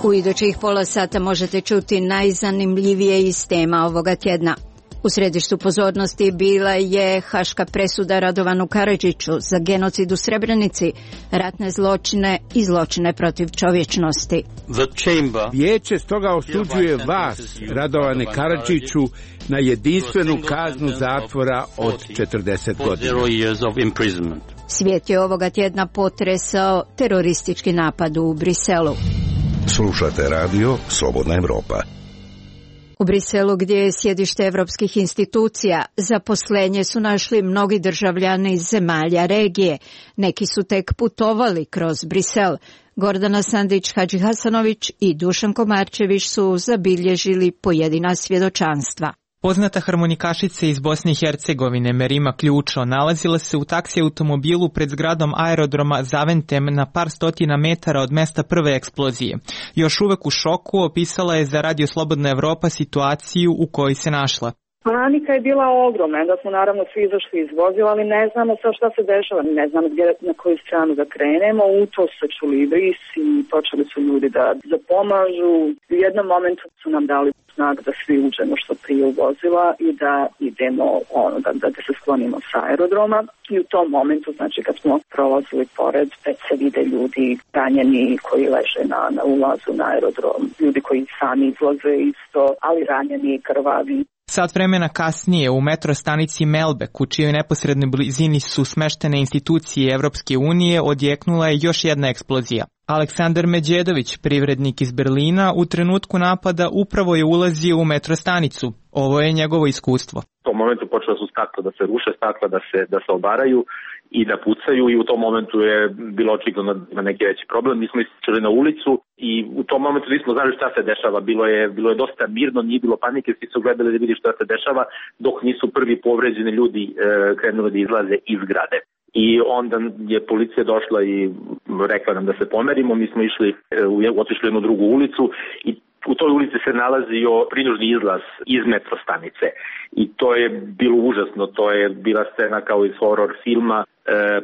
U idućih pola sata možete čuti najzanimljivije iz tema ovoga tjedna. U središtu pozornosti bila je haška presuda Radovanu Karadžiću za genocid u Srebrenici, ratne zločine i zločine protiv čovječnosti. Vijeće stoga osuđuje vas, Radovane Karadžiću, na jedinstvenu kaznu zatvora od 40 godina. Svijet je ovoga tjedna potresao teroristički napad u Briselu. Slušate radio Slobodna Evropa. U Briselu, gdje je sjedište evropskih institucija, zaposlenje su našli mnogi državljani iz zemalja regije. Neki su tek putovali kroz Brisel. Gordana Sandić-Hadžihasanović i Dušan Komarčević su zabilježili pojedina svjedočanstva. Poznata harmonikašica iz Bosne i Hercegovine Merima Ključo nalazila se u taksi automobilu pred zgradom aerodroma Zaventem na par stotina metara od mesta prve eksplozije. Još uvek u šoku opisala je za Radio Slobodna Evropa situaciju u kojoj se našla. Panika je bila ogromna, da smo naravno svi izašli iz vozila, ali ne znamo sad šta se dešava, ne znamo gdje, na koju stranu da krenemo. U to se čuli brisi i počeli su ljudi da pomažu. U jednom momentu su nam dali znak da svi uđemo što prije u vozila i da idemo, da se sklonimo sa aerodroma. I u tom momentu, znači kad smo prolazili pored, već se vide ljudi ranjeni koji leže na ulazu na aerodrom, ljudi koji sami izlaze isto, ali ranjeni i krvavi. Sat vremena kasnije u metrostanici Melbek, u čijoj neposrednoj blizini su smeštene institucije Evropske unije, odjeknula je još jedna eksplozija. Aleksandar Međedović, privrednik iz Berlina, u trenutku napada upravo je ulazio u metrostanicu. Ovo je njegovo iskustvo. U tom momentu počela su stakla da se ruše, stakla da se obaraju i da pucaju i u tom momentu je bilo očigledno na neki veći problem. Mi smo ističali na ulicu i u tom momentu nismo znali šta se dešava. Bilo je dosta mirno, nije bilo panike, svi su gledali da vidi šta se dešava dok nisu prvi povređeni ljudi krenuli da izlaze iz zgrade. I onda je policija došla i rekla nam da se pomerimo. Mi smo otišli u jednu drugu ulicu i u toj ulici se nalazio prinužni izlaz iz metrostanice i to je bilo užasno, to je bila scena kao iz horror filma,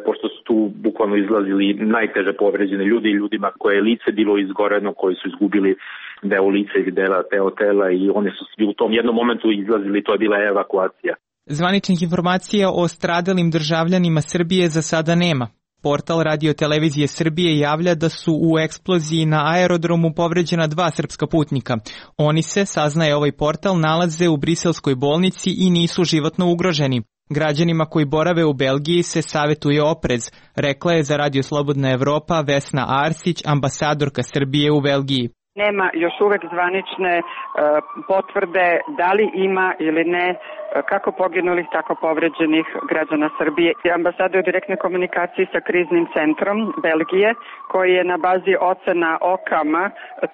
pošto su tu bukvalno izlazili najteže povređene ljudi i ljudima koje je lice bilo izgoreno, koji su izgubili deo lica ili deo tela i oni su svi u tom jednom momentu izlazili, to je bila evakuacija. Zvaničnih informacija o stradalim državljanima Srbije za sada nema. Portal Radio-televizije Srbije javlja da su u eksploziji na aerodromu povređena 2 srpska putnika. Oni se, saznaje ovaj portal, nalaze u briselskoj bolnici i nisu životno ugroženi. Građanima koji borave u Belgiji se savjetuje oprez, rekla je za Radio Slobodna Evropa Vesna Arsić, ambasadorka Srbije u Belgiji. Nema još uvek zvanične potvrde da li ima ili ne kako poginulih, tako povređenih građana Srbije. Ambasada je u direktnoj komunikaciji sa kriznim centrom Belgije, koji je na bazi ocena OCAM-a,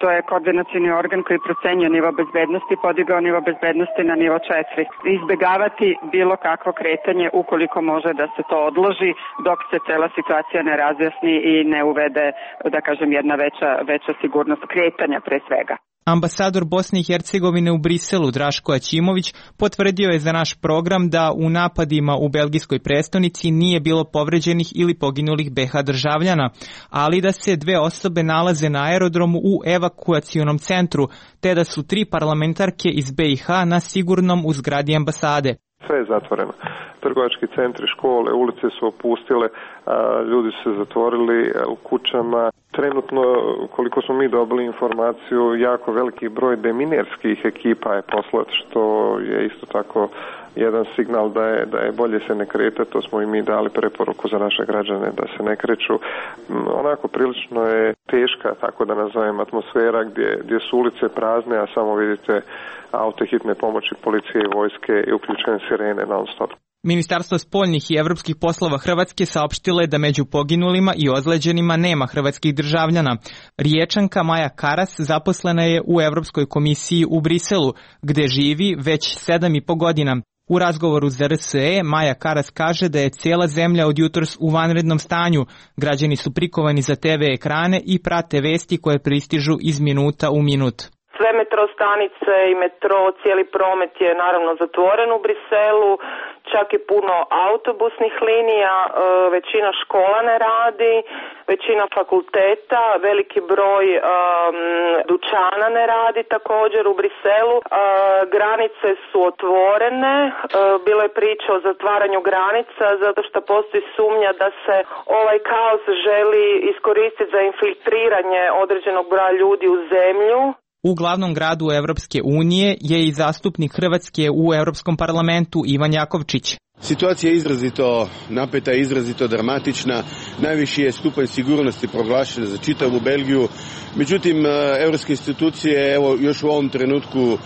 to je koordinacioni organ koji procenjuje nivo bezbednosti, podigao nivo bezbednosti na nivo 4. Izbegavati bilo kakvo kretanje ukoliko može da se to odloži dok se cela situacija ne razjasni i ne uvede, da kažem, jedna veća sigurnost kretanja pre svega. Ambasador Bosne i Hercegovine u Briselu Draško Aćimović potvrdio je za naš program da u napadima u belgijskoj prestonici nije bilo povređenih ili poginulih BiH državljana, ali da se 2 osobe nalaze na aerodromu u evakuacionom centru, te da su 3 parlamentarke iz BiH na sigurnom u zgradi ambasade. Sve je zatvoreno. Trgovački centri, škole, ulice su opustile, ljudi su se zatvorili u kućama. Trenutno, koliko smo mi dobili informaciju, jako veliki broj deminerskih ekipa je poslat, što je isto tako jedan signal da je bolje se ne kretati. To smo i mi dali preporuku za naše građane da se ne kreću. Onako prilično je teška, tako da nazovem, atmosfera gdje su ulice prazne, a samo vidite auto hitne pomoći, policije i vojske i uključene sirene non stop. Ministarstvo spoljnih i evropskih poslova Hrvatske saopštilo je da među poginulima i ozleđenima nema hrvatskih državljana. Riječanka Maja Karas zaposlena je u Evropskoj komisiji u Briselu, gde živi već 7,5 godina. U razgovoru za RSE Maja Karas kaže da je cijela zemlja od jutros u vanrednom stanju. Građani su prikovani za TV ekrane i prate vesti koje pristižu iz minuta u minut. Sve metro stanice i metro, cijeli promet je naravno zatvoren u Briselu, čak i puno autobusnih linija, većina škola ne radi, većina fakulteta, veliki broj dućana ne radi također u Briselu. Granice su otvorene, bilo je priča o zatvaranju granica zato što postoji sumnja da se ovaj kaos želi iskoristiti za infiltriranje određenog broja ljudi u zemlju. U glavnom gradu Evropske unije je i zastupnik Hrvatske u Europskom parlamentu Ivan Jakovčić. Situacija je izrazito napeta, izrazito dramatična. Najviši je stupanj sigurnosti proglašen za čitavu Belgiju. Međutim, evropske institucije još u ovom trenutku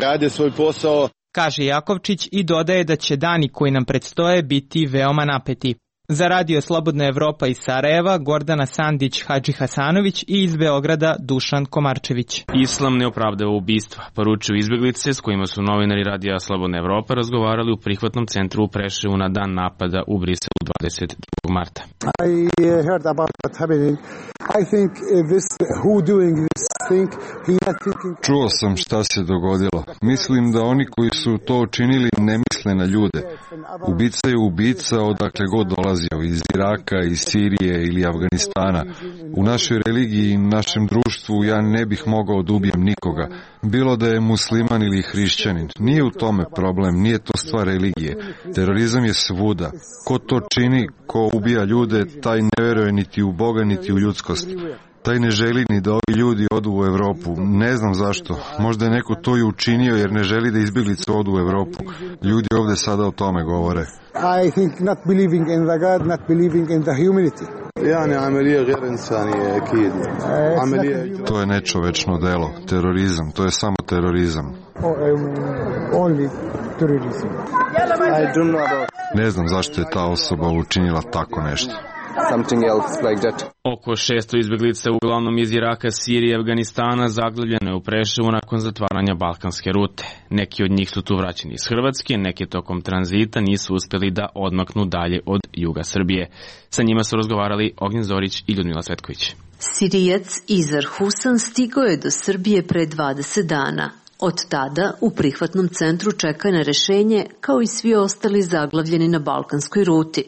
rade svoj posao. Kaže Jakovčić i dodaje da će dani koji nam predstoje biti veoma napeti. Za Radio Slobodna Evropa iz Sarajeva, Gordana Sandić Hadži Hasanović i iz Beograda Dušan Komarčević. Islam ne opravdava ubistva, poručuju izbjeglice s kojima su novinari Radija Slobodna Evropa razgovarali u prihvatnom centru u Preševu na dan napada u Briselu 22. marta. I heard about what's happening. I think who doing this thing, he not thinking. Čuo sam šta se dogodilo. Mislim da oni koji su to učinili ne misle na ljude. Ubica je ubica odakle god dolazio, iz Iraka, iz Sirije ili Afganistana. U našoj religiji i našem društvu ja ne bih mogao da ubijem nikoga, bilo da je musliman ili hrišćanin. Nije u tome problem, nije to stvar religije. Terorizam je svuda. Ko to čini, ko ubija ljude, taj ne veruje niti u Boga, niti u ljudskost. Taj ne želi ni da ovi ljudi odu u Evropu. Ne znam zašto. Možda je neko to i učinio jer ne želi da izbjeglice odu u Evropu. Ljudi ovde sada o tome govore. I think not believing in the God, not believing in the humanity. To je nečovečno delo. Terorizam. To je samo terorizam. Only terrorism. Ne znam zašto je ta osoba učinila tako nešto. Oko 600 izbjeglica uglavnom iz Iraka, Sirije i Afganistana zaglavljeno je u Preševu nakon zatvaranja balkanske rute. Neki od njih su tu vraćeni iz Hrvatske, neki tokom tranzita nisu uspjeli da odmaknu dalje od juga Srbije. Sa njima su razgovarali Ognjen Zorić i Ljudmila Svetković. Sirijac Izar Husan stigao je do Srbije pre 20 dana. Od tada u prihvatnom centru čeka na rešenje kao i svi ostali zaglavljeni na balkanskoj ruti.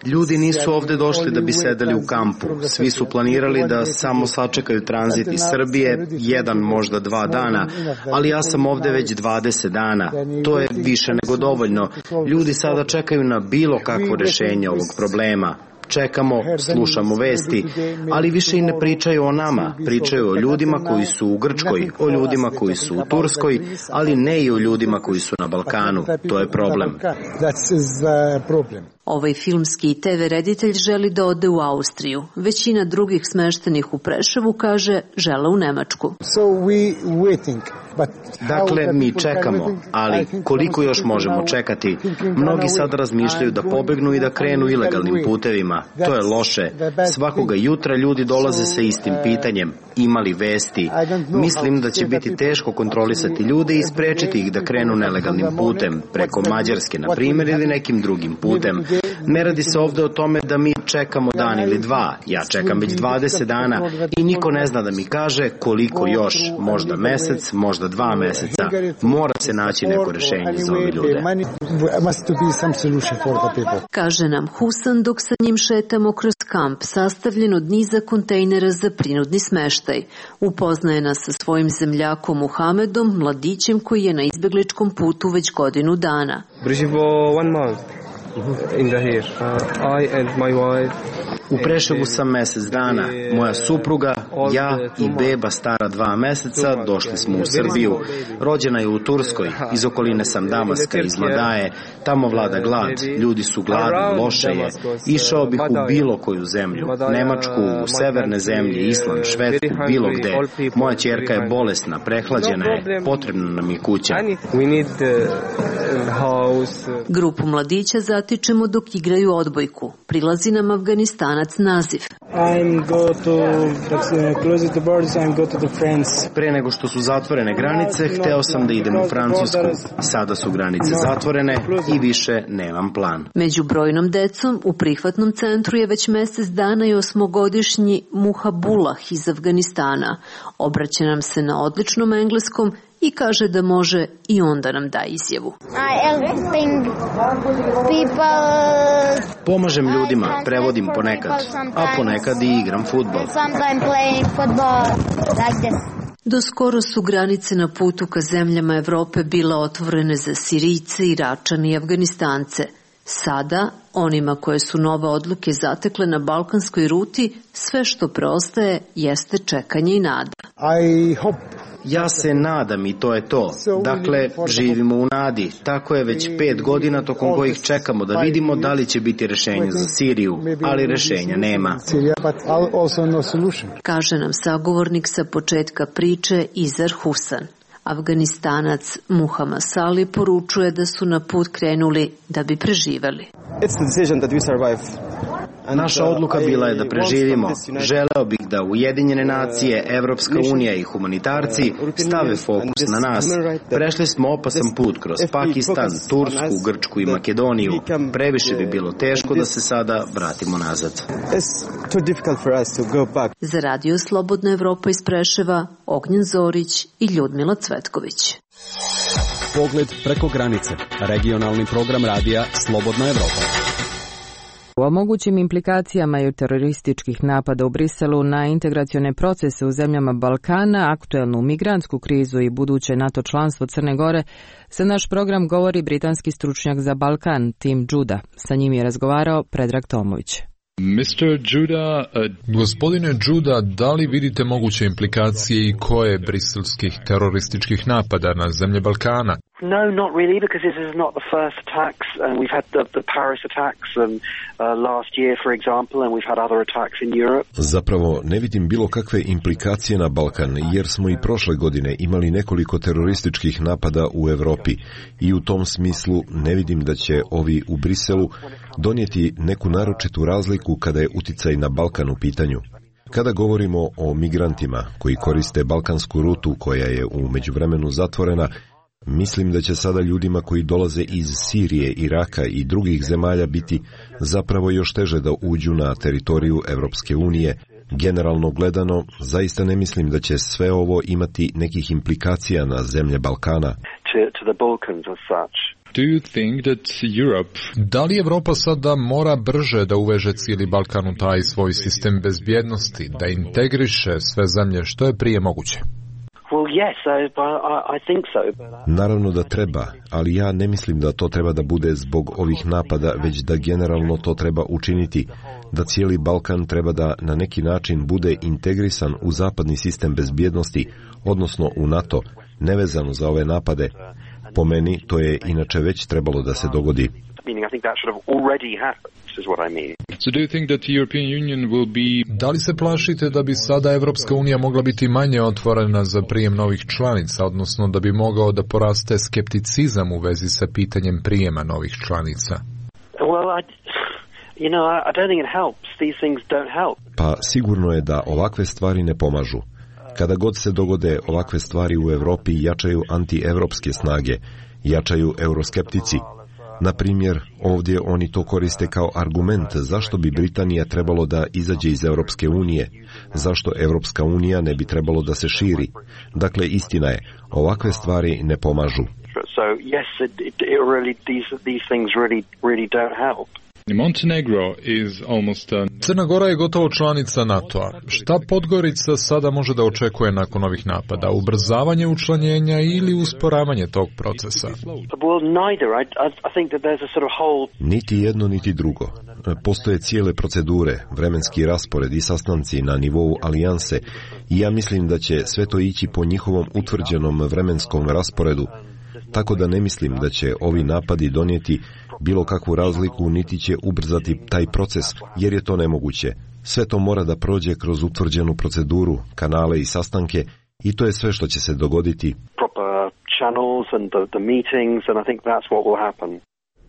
Ljudi nisu ovde došli da bi sedeli u kampu. Svi su planirali da samo sačekaju tranzit iz Srbije, 1, možda 2 dana, ali ja sam ovde već 20 dana. To je više nego dovoljno. Ljudi sada čekaju na bilo kakvo rešenje ovog problema. Čekamo, slušamo vesti, ali više i ne pričaju o nama. Pričaju o ljudima koji su u Grčkoj, o ljudima koji su u Turskoj, ali ne i o ljudima koji su na Balkanu. To je problem. Ovaj filmski i TV reditelj želi da ode u Austriju. Većina drugih smeštenih u Preševu, kaže, žele u Nemačku. Dakle, mi čekamo, ali koliko još možemo čekati? Mnogi sad razmišljaju da pobegnu i da krenu ilegalnim putevima. To je loše. Svakoga jutra ljudi dolaze sa istim pitanjem. Imali vesti? Mislim da će biti teško kontrolisati ljude i sprečiti ih da krenu nelegalnim putem, preko Mađarske, na primjer, ili nekim drugim putem. Ne radi se ovde o tome da mi čekamo dan ili 2. Ja čekam već 20 dana i niko ne zna da mi kaže koliko još. Možda mesec, možda 2 meseca. Mora se naći neko rešenje za ove ljude. Kaže nam Husan dok sa njim šetamo kroz kamp sastavljen od niza kontejnera za prinudni smeštaj. Upoznaje nas sa svojim zemljakom Muhamedom, mladićem koji je na izbegličkom putu već godinu dana. U Preševu sam mesec dana. Moja supruga, ja i beba stara 2 meseca došli smo u Srbiju. Rođena je u Turskoj, iz okoline sam Damaska, iz Mladaje. Tamo vlada glad, ljudi su gladni, loše je. Išao bih u bilo koju zemlju, Nemačku, u severne zemlje, Island, Švedsku, bilo gde. Moja ćerka je bolesna, prehlađena je, potrebna nam je kuća. Grupu mladića zatičemo dok igraju odbojku. Prilazi nam Afganistanac Naziv. Pre nego što su zatvorene granice, hteo sam da idem u Francusku. Sada su granice zatvorene i više nemam plan. Među brojnom decom u prihvatnom centru je već mesec dana i 8-godišnji Muhabullah iz Afganistana. Obraća nam se na odličnom engleskom i kaže da može i on da nam da izjavu. Pomažem ljudima, prevodim ponekad, a ponekad i igram fudbal. Do skoro su granice na putu ka zemljama Evrope bile otvorene za Sirijce, Iračane i Afganistance. Sada, onima koje su nove odluke zatekle na balkanskoj ruti, sve što preostaje jeste čekanje i nada. Ja se nadam i to je to. Dakle, živimo u nadi. Tako je već 5 godina tokom kojih čekamo da vidimo da li će biti rešenje za Siriju, ali rešenja nema. Kaže nam sagovornik sa početka priče Izar Husan. Afganistanac Muhammad Sali poručuje da su na put krenuli da bi preživeli. Naša odluka bila je da preživimo. Želeo bih da Ujedinjene nacije, Evropska unija i humanitarci stave fokus na nas. Prešli smo opasan put kroz Pakistan, Tursku, Grčku i Makedoniju. Previše bi bilo teško da se sada vratimo nazad. Za Radio Slobodna Evropa iz Preševa, Ognjen Zorić i Ljudmila Cvetković. Pogled preko granice. Regionalni program radija Slobodna Evropa. O mogućim implikacijama i terorističkih napada u Briselu na integracione procese u zemljama Balkana, aktuelnu migrantsku krizu i buduće NATO članstvo Crne Gore, za naš program govori britanski stručnjak za Balkan, Tim Judah. Sa njim je razgovarao Predrag Tomović. Gospodine Judah, da li vidite moguće implikacije i koje briselskih terorističkih napada na zemlje Balkana? No, not really, because this is not the first attacks. We've had the Paris attacks last year, for example, and we've had other attacks in Europe. Zapravo, ne vidim bilo kakve implikacije na Balkan, jer smo i prošle godine imali nekoliko terorističkih napada u Evropi i u tom smislu ne vidim da će ovi u Briselu donijeti neku naročitu razliku kada je uticaj na Balkan u pitanju. Kada govorimo o migrantima koji koriste balkansku rutu koja je u međuvremenu zatvorena, mislim da će sada ljudima koji dolaze iz Sirije, Iraka i drugih zemalja biti zapravo još teže da uđu na teritoriju Evropske unije. Generalno gledano, zaista ne mislim da će sve ovo imati nekih implikacija na zemlje Balkana. Da li Evropa sada mora brže da uveže cijeli Balkan u taj svoj sistem bezbjednosti, da integriše sve zemlje što je prije moguće? Naravno da treba, ali ja ne mislim da to treba da bude zbog ovih napada, već da generalno to treba učiniti, da cijeli Balkan treba da na neki način bude integrisan u zapadni sistem bezbjednosti, odnosno u NATO, nevezano za ove napade. Po meni to je inače već trebalo da se dogodi. Da li se plašite da bi sada Evropska unija mogla biti manje otvorena za prijem novih članica, odnosno da bi mogao da poraste skepticizam u vezi sa pitanjem prijema novih članica? Pa sigurno je da ovakve stvari ne pomažu. Kada god se dogode ovakve stvari u Evropi, jačaju antievropske snage, jačaju euroskeptici. Na primjer, ovdje oni to koriste kao argument zašto bi Britanija trebalo da izađe iz Europske unije, zašto Europska unija ne bi trebalo da se širi. Dakle, istina je, ovakve stvari ne pomažu. Crna Gora je gotovo članica NATO-a. Šta Podgorica sada može da očekuje nakon ovih napada? Ubrzavanje učlanjenja ili usporavanje tog procesa? Niti jedno, niti drugo. Postoje cijele procedure, vremenski raspored i sastanci na nivou alijanse i ja mislim da će sve to ići po njihovom utvrđenom vremenskom rasporedu, tako da ne mislim da će ovi napadi donijeti bilo kakvu razliku niti će ubrzati taj proces, jer je to nemoguće. Sve to mora da prođe kroz utvrđenu proceduru, kanale i sastanke i to je sve što će se dogoditi.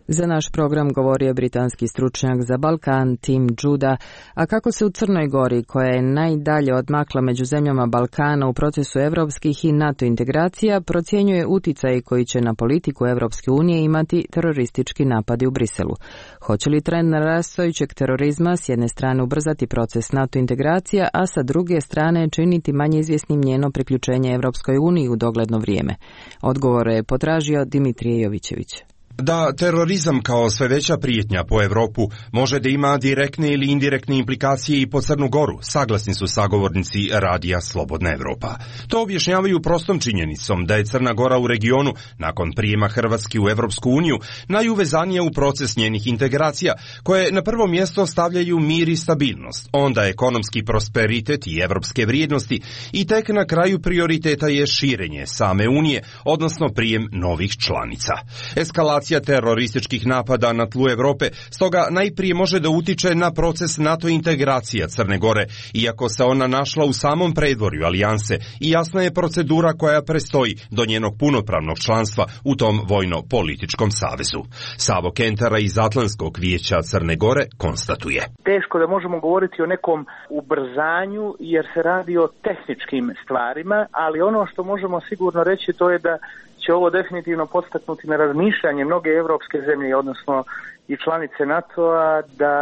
Za naš program govorio britanski stručnjak za Balkan Tim Juda, a kako se u Crnoj Gori, koja je najdalje odmakla među zemljama Balkana u procesu evropskih i NATO integracija, procjenjuje uticaj koji će na politiku Evropske unije imati teroristički napadi u Briselu. Hoće li trend narastajućeg terorizma s jedne strane ubrzati proces NATO integracija, a sa druge strane činiti manje izvjesnim njeno priključenje Evropskoj uniji u dogledno vrijeme? Odgovore je potražio Dimitrije Jovićević. Da terorizam kao sve veća prijetnja po Evropu može da ima direktne ili indirektne implikacije i po Crnu Goru, saglasni su sagovornici radija Slobodna Evropa. To objašnjavaju prostom činjenicom da je Crna Gora u regionu, nakon prijema Hrvatske u Evropsku uniju, najuvezanija u proces njenih integracija, koje na prvo mjesto stavljaju mir i stabilnost, onda ekonomski prosperitet i evropske vrijednosti i tek na kraju prioriteta je širenje same Unije, odnosno prijem novih članica. Eskalacija terorističkih napada na tlu Evrope stoga najprije može da utiče na proces NATO integracija Crne Gore, iako se ona našla u samom predvorju alijanse i jasna je procedura koja prestoji do njenog punopravnog članstva u tom vojno-političkom savezu. Savo Kentara iz Atlantskog vijeća Crne Gore konstatuje. Teško da možemo govoriti o nekom ubrzanju jer se radi o tehničkim stvarima, ali ono što možemo sigurno reći to je da će ovo definitivno podstaknuti na razmišljanje mnoge evropske zemlje, odnosno i članice NATO-a, da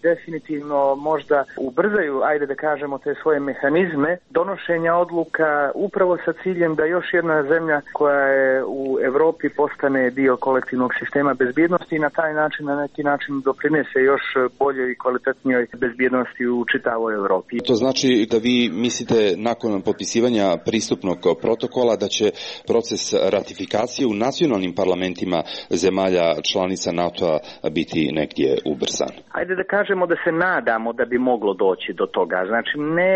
definitivno možda ubrzaju, ajde da kažemo, te svoje mehanizme donošenja odluka upravo sa ciljem da još jedna zemlja koja je u Evropi postane dio kolektivnog sistema bezbjednosti i na taj način, na neki način doprinese još boljoj i kvalitetnijoj bezbjednosti u čitavoj Evropi. To znači da vi mislite nakon potpisivanja pristupnog protokola da će proces ratifikacije u nacionalnim parlamentima zemalja članica NATO-a biti negdje ubrzan? Ajde da kažemo da se nadamo da bi moglo doći do toga, znači ne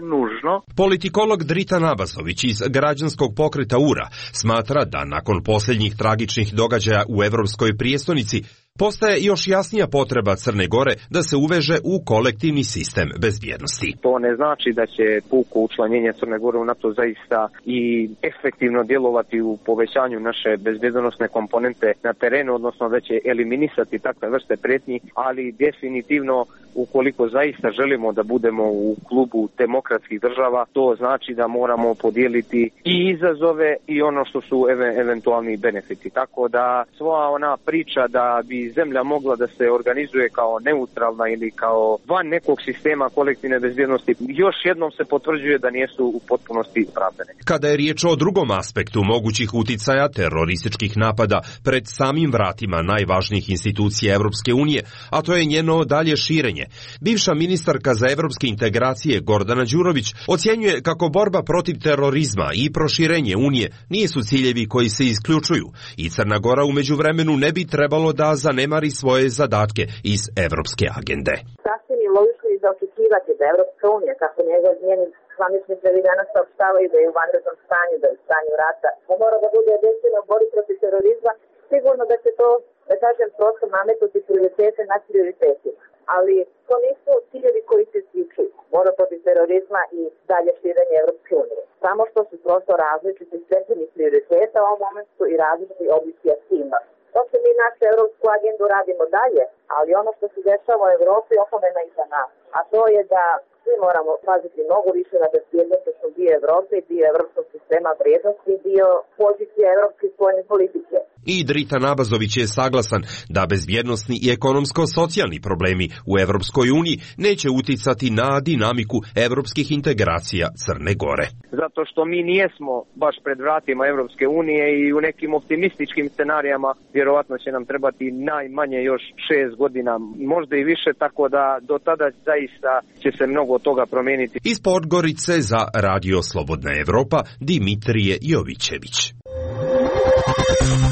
nužno. Politikolog Drita Nabazović iz građanskog pokreta URA smatra da nakon posljednjih tragičnih događaja u evropskoj prijestolnici postaje još jasnija potreba Crne Gore da se uveže u kolektivni sistem bezbjednosti. To ne znači da će puko učlanjenje Crne Gore u NATO zaista i efektivno djelovati u povećanju naše bezbjednosne komponente na terenu, odnosno da će eliminisati takve vrste prijetnji, ali definitivno ukoliko zaista želimo da budemo u klubu demokratskih država, to znači da moramo podijeliti i izazove i ono što su eventualni benefiti. Tako da sva ona priča da bi zemlja mogla da se organizuje kao neutralna ili kao van nekog sistema kolektivne bezbjednosti, još jednom se potvrđuje da nisu u potpunosti opravdane. Kada je riječ o drugom aspektu mogućih uticaja terorističkih napada pred samim vratima najvažnijih institucija Evropske unije, a to je njeno dalje širenje, bivša ministarka za evropske integracije Gordana Đurović ocjenjuje kako borba protiv terorizma i proširenje Unije nisu ciljevi koji se isključuju i Crna Gora u međuvremenu ne bi trebalo da zanemari svoje zadatke iz evropske agende. Sasvim je logično i za očekivati da Evropska unija, kako njeni zvaničnici danas saopštavaju da je u vanrednom stanju, da je u stanju rata, da mora da bude jedinstvena u borbi protiv terorizma, sigurno da će to, da kažem, prosto nametnuti prioritete nad prioritetima. Ali to nisu ciljevi koji se isključuju. Borba protiv terorizma i dalje širenje Evropske unije. Samo što su prosto različiti stepeni prioriteta u ovom momentu i različiti oblici aktivnosti. To se mi našu evropsku agendu radimo dalje, ali ono što se dešava u Evropi opomena i za nas. A to je da svi moramo paziti mnogo više na bezbjednosnom dio Evrope i dio evropskog sistema vrijednosti i dio pozicije evropske spoljne politike. I Drita Nabazović je saglasan da bezbjednosni i ekonomsko-socijalni problemi u Evropskoj uniji neće uticati na dinamiku evropskih integracija Crne Gore. Zato što mi nijesmo baš pred vratima Evropske unije i u nekim optimističkim scenarijama vjerovatno će nam trebati najmanje još 6 godina, možda i više, tako da do tada zaista će se mnogo toga promijeniti. Iz Podgorice za Radio Slobodna Evropa, Dimitrije Jovićević.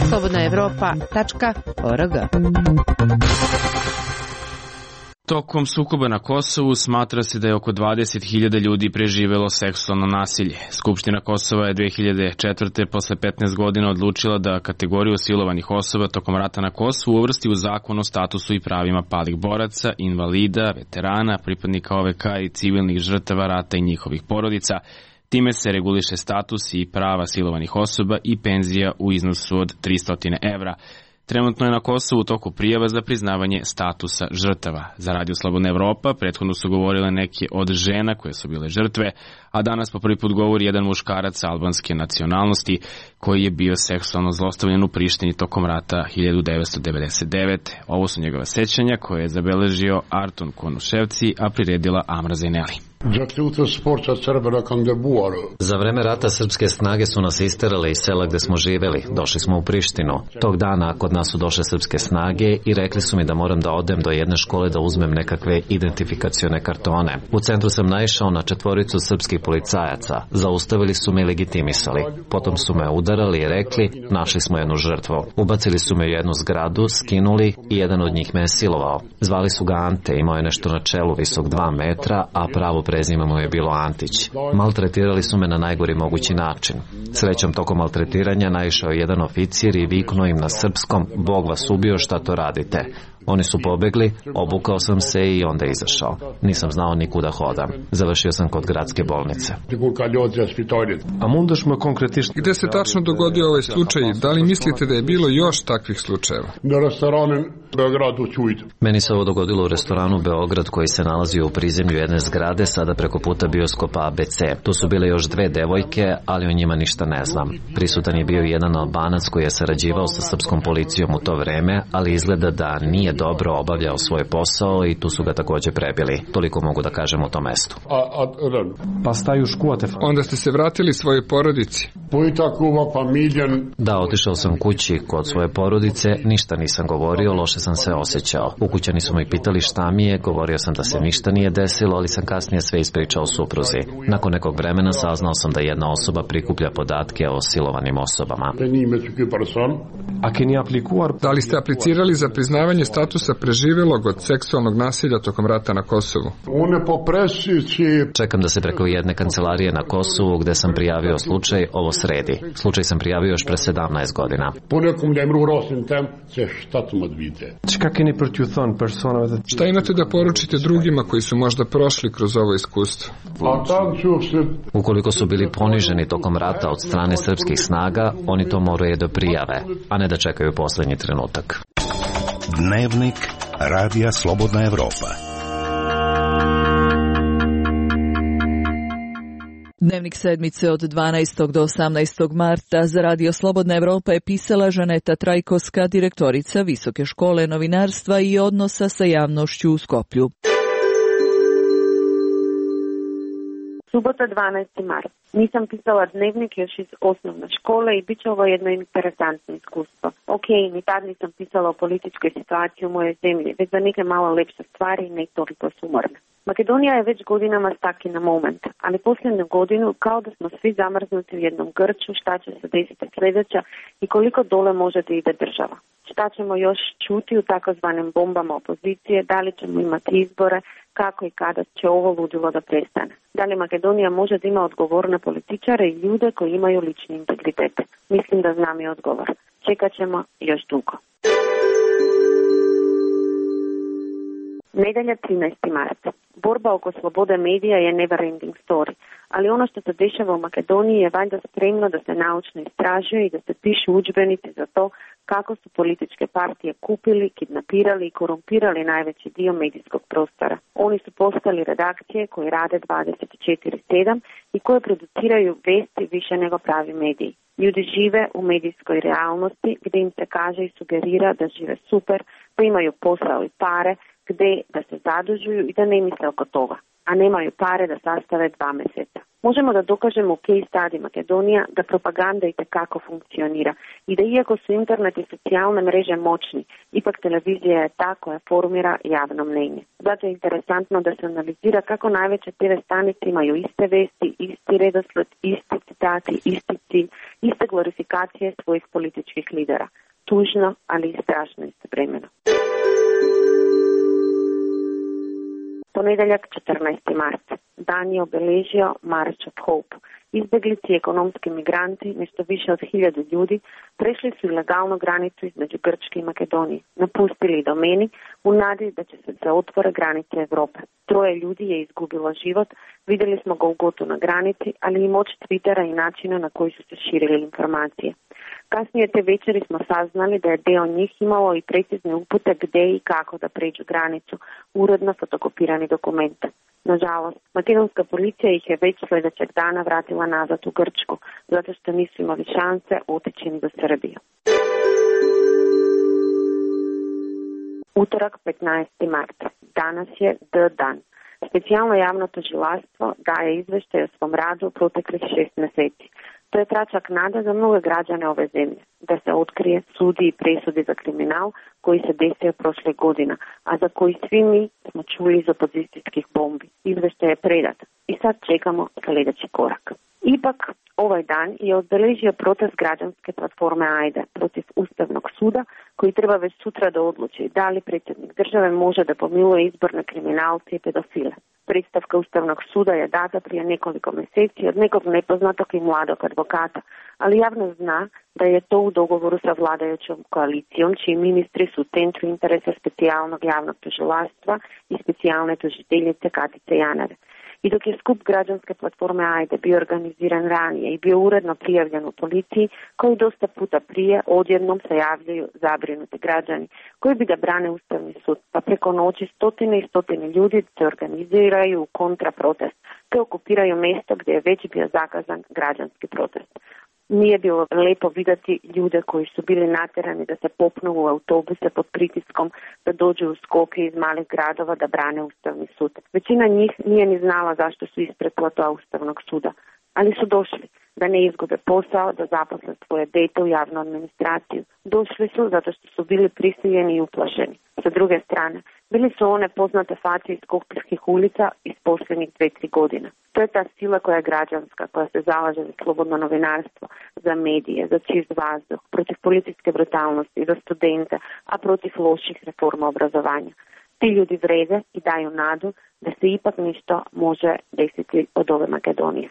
slobodnaevropa.org. Tokom sukoba na Kosovu smatra se da je oko 20.000 ljudi preživelo seksualno nasilje. Skupština Kosova je 2004. posle 15 godina odlučila da kategoriju silovanih osoba tokom rata na Kosovu uvrsti u zakon o statusu i pravima palih boraca, invalida, veterana, pripadnika OVK i civilnih žrtava rata i njihovih porodica. Time se reguliše status i prava silovanih osoba i penzija u iznosu od 300 evra. Trenutno je na Kosovu u toku prijava za priznavanje statusa žrtava. Za Radio Slobodna Evropa prethodno su govorile neke od žena koje su bile žrtve, a danas po prvi put govori jedan muškarac albanske nacionalnosti koji je bio seksualno zlostavljen u Prištini tokom rata 1999. Ovo su njegova sećanja koje je zabeležio Arton Konuševci, a priredila Amra Zajneli. Za vreme rata srpske snage su nas isterali iz sela gde smo živeli. Došli smo u Prištinu. Tog dana kod nas su došle srpske snage i rekli su mi da moram da odem do jedne škole da uzmem nekakve identifikacione kartone. U centru sam naišao na 4 srpskih policajaca. Zaustavili su me i legitimisali. Potom su me udarali i rekli, našli smo jednu žrtvu. Ubacili su me u jednu zgradu, skinuli i jedan od njih me je silovao. Zvali su ga Ante, imao je nešto na čelu visok 2 metra, a pravo prezime mu je bilo Antić. Maltretirali su me na najgori mogući način. Srećom, tokom maltretiranja naišao je jedan oficir i viknuo im na srpskom, Bog vas ubio, šta to radite? Oni su pobegli, obukao sam se i onda izašao. Nisam znao nikuda hodam. Završio sam kod gradske bolnice. Gde se tačno dogodio ovaj slučaj? Da li mislite da je bilo još takvih slučajeva? Meni se ovo dogodilo u restoranu Beograd koji se nalazi u prizemlju jedne zgrade, sada preko puta bioskopa ABC. Tu su bile još 2 devojke, ali o njima ništa ne znam. Prisutan je bio jedan Albanac koji je sarađivao sa srpskom policijom u to vreme, ali izgleda da nije dobro obavljao svoj posao i tu su ga takođe prebili. Toliko mogu da kažem u tom mestu. Onda ste se vratili svojoj porodici? Da, otišao sam kući kod svoje porodice, ništa nisam govorio, loše sam se osjećao. Ukućani su me pitali šta mi je, govorio sam da se ništa nije desilo, ali sam kasnije sve ispričao supruzi. Nakon nekog vremena saznao sam da jedna osoba prikuplja podatke o silovanim osobama. Da li ste aplicirali za priznavanje statusa preživelog od seksualnog nasilja tokom rata na Kosovu? Čekam da se preko jedne kancelarije na Kosovu gde sam prijavio slučaj ovo sredi. Slučaj sam prijavio još pre 17 godina. Šta imate da poručite drugima koji su možda prošli kroz ovo iskustvo? Ukoliko su bili poniženi tokom rata od strane srpskih snaga, oni to moraju da prijave, a ne da čekaju poslednji trenutak. Dnevnik Radija Slobodna Evropa. Dnevnik sedmice od 12. do 18. marta za Radio Slobodna Evropa je pisala Žaneta Trajkovska, direktorica Visoke škole novinarstva i odnosa sa javnošću u Skoplju. Subota 12. mart. Nisam pisala dnevnik još iz osnovne škole i bit će ovo jedno interesantno iskustvo. Ok, ni tad nisam pisala o političkoj situaciji u mojoj zemlji, već za neke malo lepše stvari i ne toliko sumorne. Makedonija je već godinama stuck in a moment, ali posljednju godinu kao da smo svi zamrznuti u jednom grču, šta će se desiti sljedeća i koliko dole može da ide država. Šta ćemo još čuti u takozvanim bombama opozicije, da li ćemo imati izbore, kako i kada će ovo ludilo da prestane. Da li Makedonija može da ima odgovorne političare i ljude koji imaju lični integritet? Mislim da znam i odgovor. Čekat ćemo još dugo. Nedelja 13. mart. Borba oko slobode medija je never ending story, ali ono što se dešava u Makedoniji je valjda spremno da se naučno istražuje i da se pišu udžbenici za to kako su političke partije kupili, kidnapirali i korumpirali najveći dio medijskog prostora. Oni su postali redakcije koje rade 24/7 i koje produciraju vesti više nego pravi mediji. Ljudi žive u medijskoj realnosti gdje im se kaže i sugerira da žive super, pa imaju posao i pare, gdje da se zadužuju i da ne misle oko toga, a nemaju pare da sastave 2 mjeseca. Možemo da dokažemo u case study Makedonija da propaganda itekako funkcionira i da iako su internet i socijalne mreže moćni, ipak televizija je ta koja formira javno mnenje. Zato je interesantno da se analizira kako najveće TV stanice imaju iste vesti, isti redosled, isti citati, isti cilj, iste glorifikacije svojih političkih lidera. Tužno, ali i strašno istovremeno. Ponedeljak 14. mart. Dan je obeležio March of Hope. Izbeglici i ekonomski migranti, nešto više od 1000 ljudi, prešli su ilegalnu granicu između Grčke i Makedonije. Napustili domeni u nadi da će se otvore granice Evrope. 3 ljudi je izgubilo život, vidjeli smo ga u gotu na granici, ali i moć Twittera i načina na koji su se širili informacije. Kasnije te večeri smo saznali da je deo njih imalo i precizne upute gdje i kako da pređu granicu, uredno fotokopirani dokument. Nažalost, makedonska policija ih je već sljedećeg dana vratila nazad u Grčku, zato što nisu imali šanse otići ni do Srbije. Utorak 15. marta. Danas je dan. Specijalno javno tužilaštvo daje izvještaj o svom radu proteklih 6 mjeseci. To je tračak nada za mnoge građane ove zemlje, da se otkrije, sudi i presudi za kriminal koji se desio prošle godine, a za koji svi mi smo čuli iz opozicijskih bombi. Izvještaj je predat i sad čekamo sljedeći korak. Ipak, ovaj dan je obeležio protest građanske platforme AJDE protiv Ustavnog suda, koji treba već sutra da odluči da li predsjednik države može da pomiluje izborne kriminalce i pedofile. Predstavka Ustavnog suda je data prije nekoliko mjeseci od nekog nepoznatog i mladog advokata, ali javno zna da je to u dogovoru sa vladajućom koalicijom, čiji ministri su u centru interesa specijalnog javnog tužilaštva i specijalne tužiteljice Katice Janeve. I dok je skup građanske platforme AJDE bio organiziran ranije i bio uredno prijavljen u policiji, koji dosta puta prije odjednom se javljaju zabrinuti građani koji bi da brane Ustavni sud, pa preko noći stotine i stotine ljudi se organiziraju u kontraprotest, te okupiraju mjesto gdje je već bio zakazan građanski protest. Nije bilo lepo vidjeti ljude koji su bili natjerani da se popnu u autobuse pod pritiskom, da dođu u Skopje iz malih gradova da brane Ustavni sud. Većina njih nije ni znala zašto su ispred plota Ustavnog suda, ali su došli da ne izgube posao, da zaposle svoje dete u javnu administraciju. Došli su zato što su bili prisiljeni i uplašeni. Sa druge strane, bili su one poznate face iz skopjskih ulica iz posljednjih 2-3 godine. To je ta sila koja je građanska, koja se zalaže za slobodno novinarstvo, za medije, za čist vazduh, protiv policijske brutalnosti, za studente, a protiv loših reforma obrazovanja. Ti ljudi vrede i daju nadu da se ipak nešto može desiti od ove Makedonije.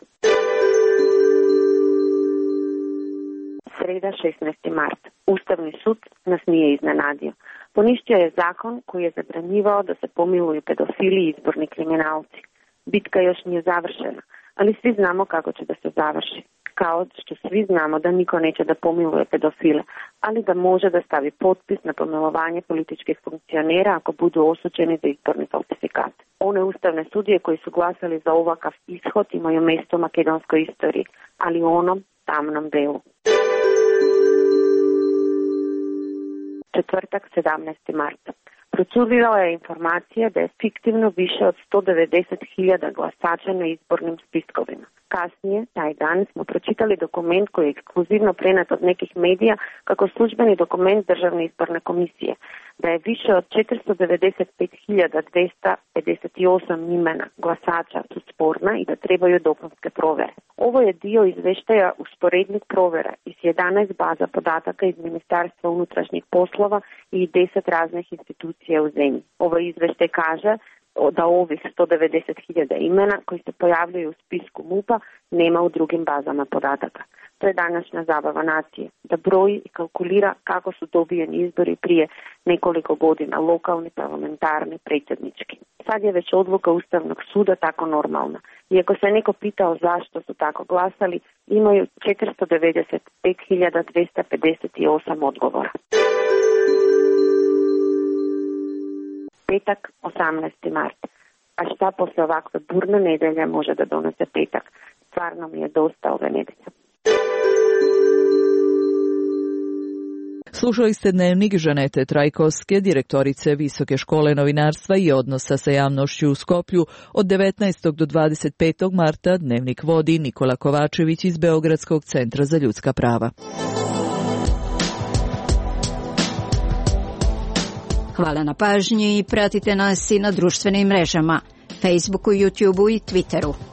Sreda 16. mart. Ustavni sud nas nije iznenadio. Poništio je zakon koji je zabranjivao da se pomiluju pedofili i izborni kriminalci. Bitka još nije završena, ali svi znamo kako će da se završi. Kao što svi znamo da niko neće da pomiluje pedofile, ali da može da stavi potpis na pomilovanje političkih funkcionera ako budu osuđeni za izborni falsifikat. One ustavne sudije koji su glasali za ovakav ishod imaju mjesto u makedonskoj istoriji, ali u onom tamnom delu. Četvrtak 17. marta. Procurila je informacija da je fiktivno više od 190.000 glasača na izbornim spiskovima. Kasnije, taj dan, smo pročitali dokument koji je ekskluzivno prenet od nekih medija kako službeni dokument Državne izborne komisije, da je više od 495.258 imena glasača su sporna i da trebaju dopunske provere. Ovo je dio izveštaja usporednih provera iz 11 baza podataka iz Ministarstva unutrašnjih poslova i 10 raznih institucija u zemlji. Ovo izveštaj kaže da ovih 190.000 imena koji se pojavljaju u spisku MUP-a nema u drugim bazama podataka. To je današnja zabava nacije, da broji i kalkulira kako su dobijeni izbori prije nekoliko godina, lokalni, parlamentarni, predsjednički. Sad je već odluka Ustavnog suda tako normalna. Iako se neko pitao zašto su tako glasali, imaju 495.258 odgovora. Petak, 18. mart. A šta posle ovakve burne nedelje može da donese petak? Stvarno mi je dosta ove nedelje. Slušali ste dnevnik Žanete Trajkovske, direktorice Visoke škole novinarstva i odnosa sa javnošću u Skoplju. Od 19. do 25. marta dnevnik vodi Nikola Kovačević iz Beogradskog centra za ljudska prava. Hvala na pažnji i pratite nas i na društvenim mrežama, Facebooku, YouTubeu i Twitteru.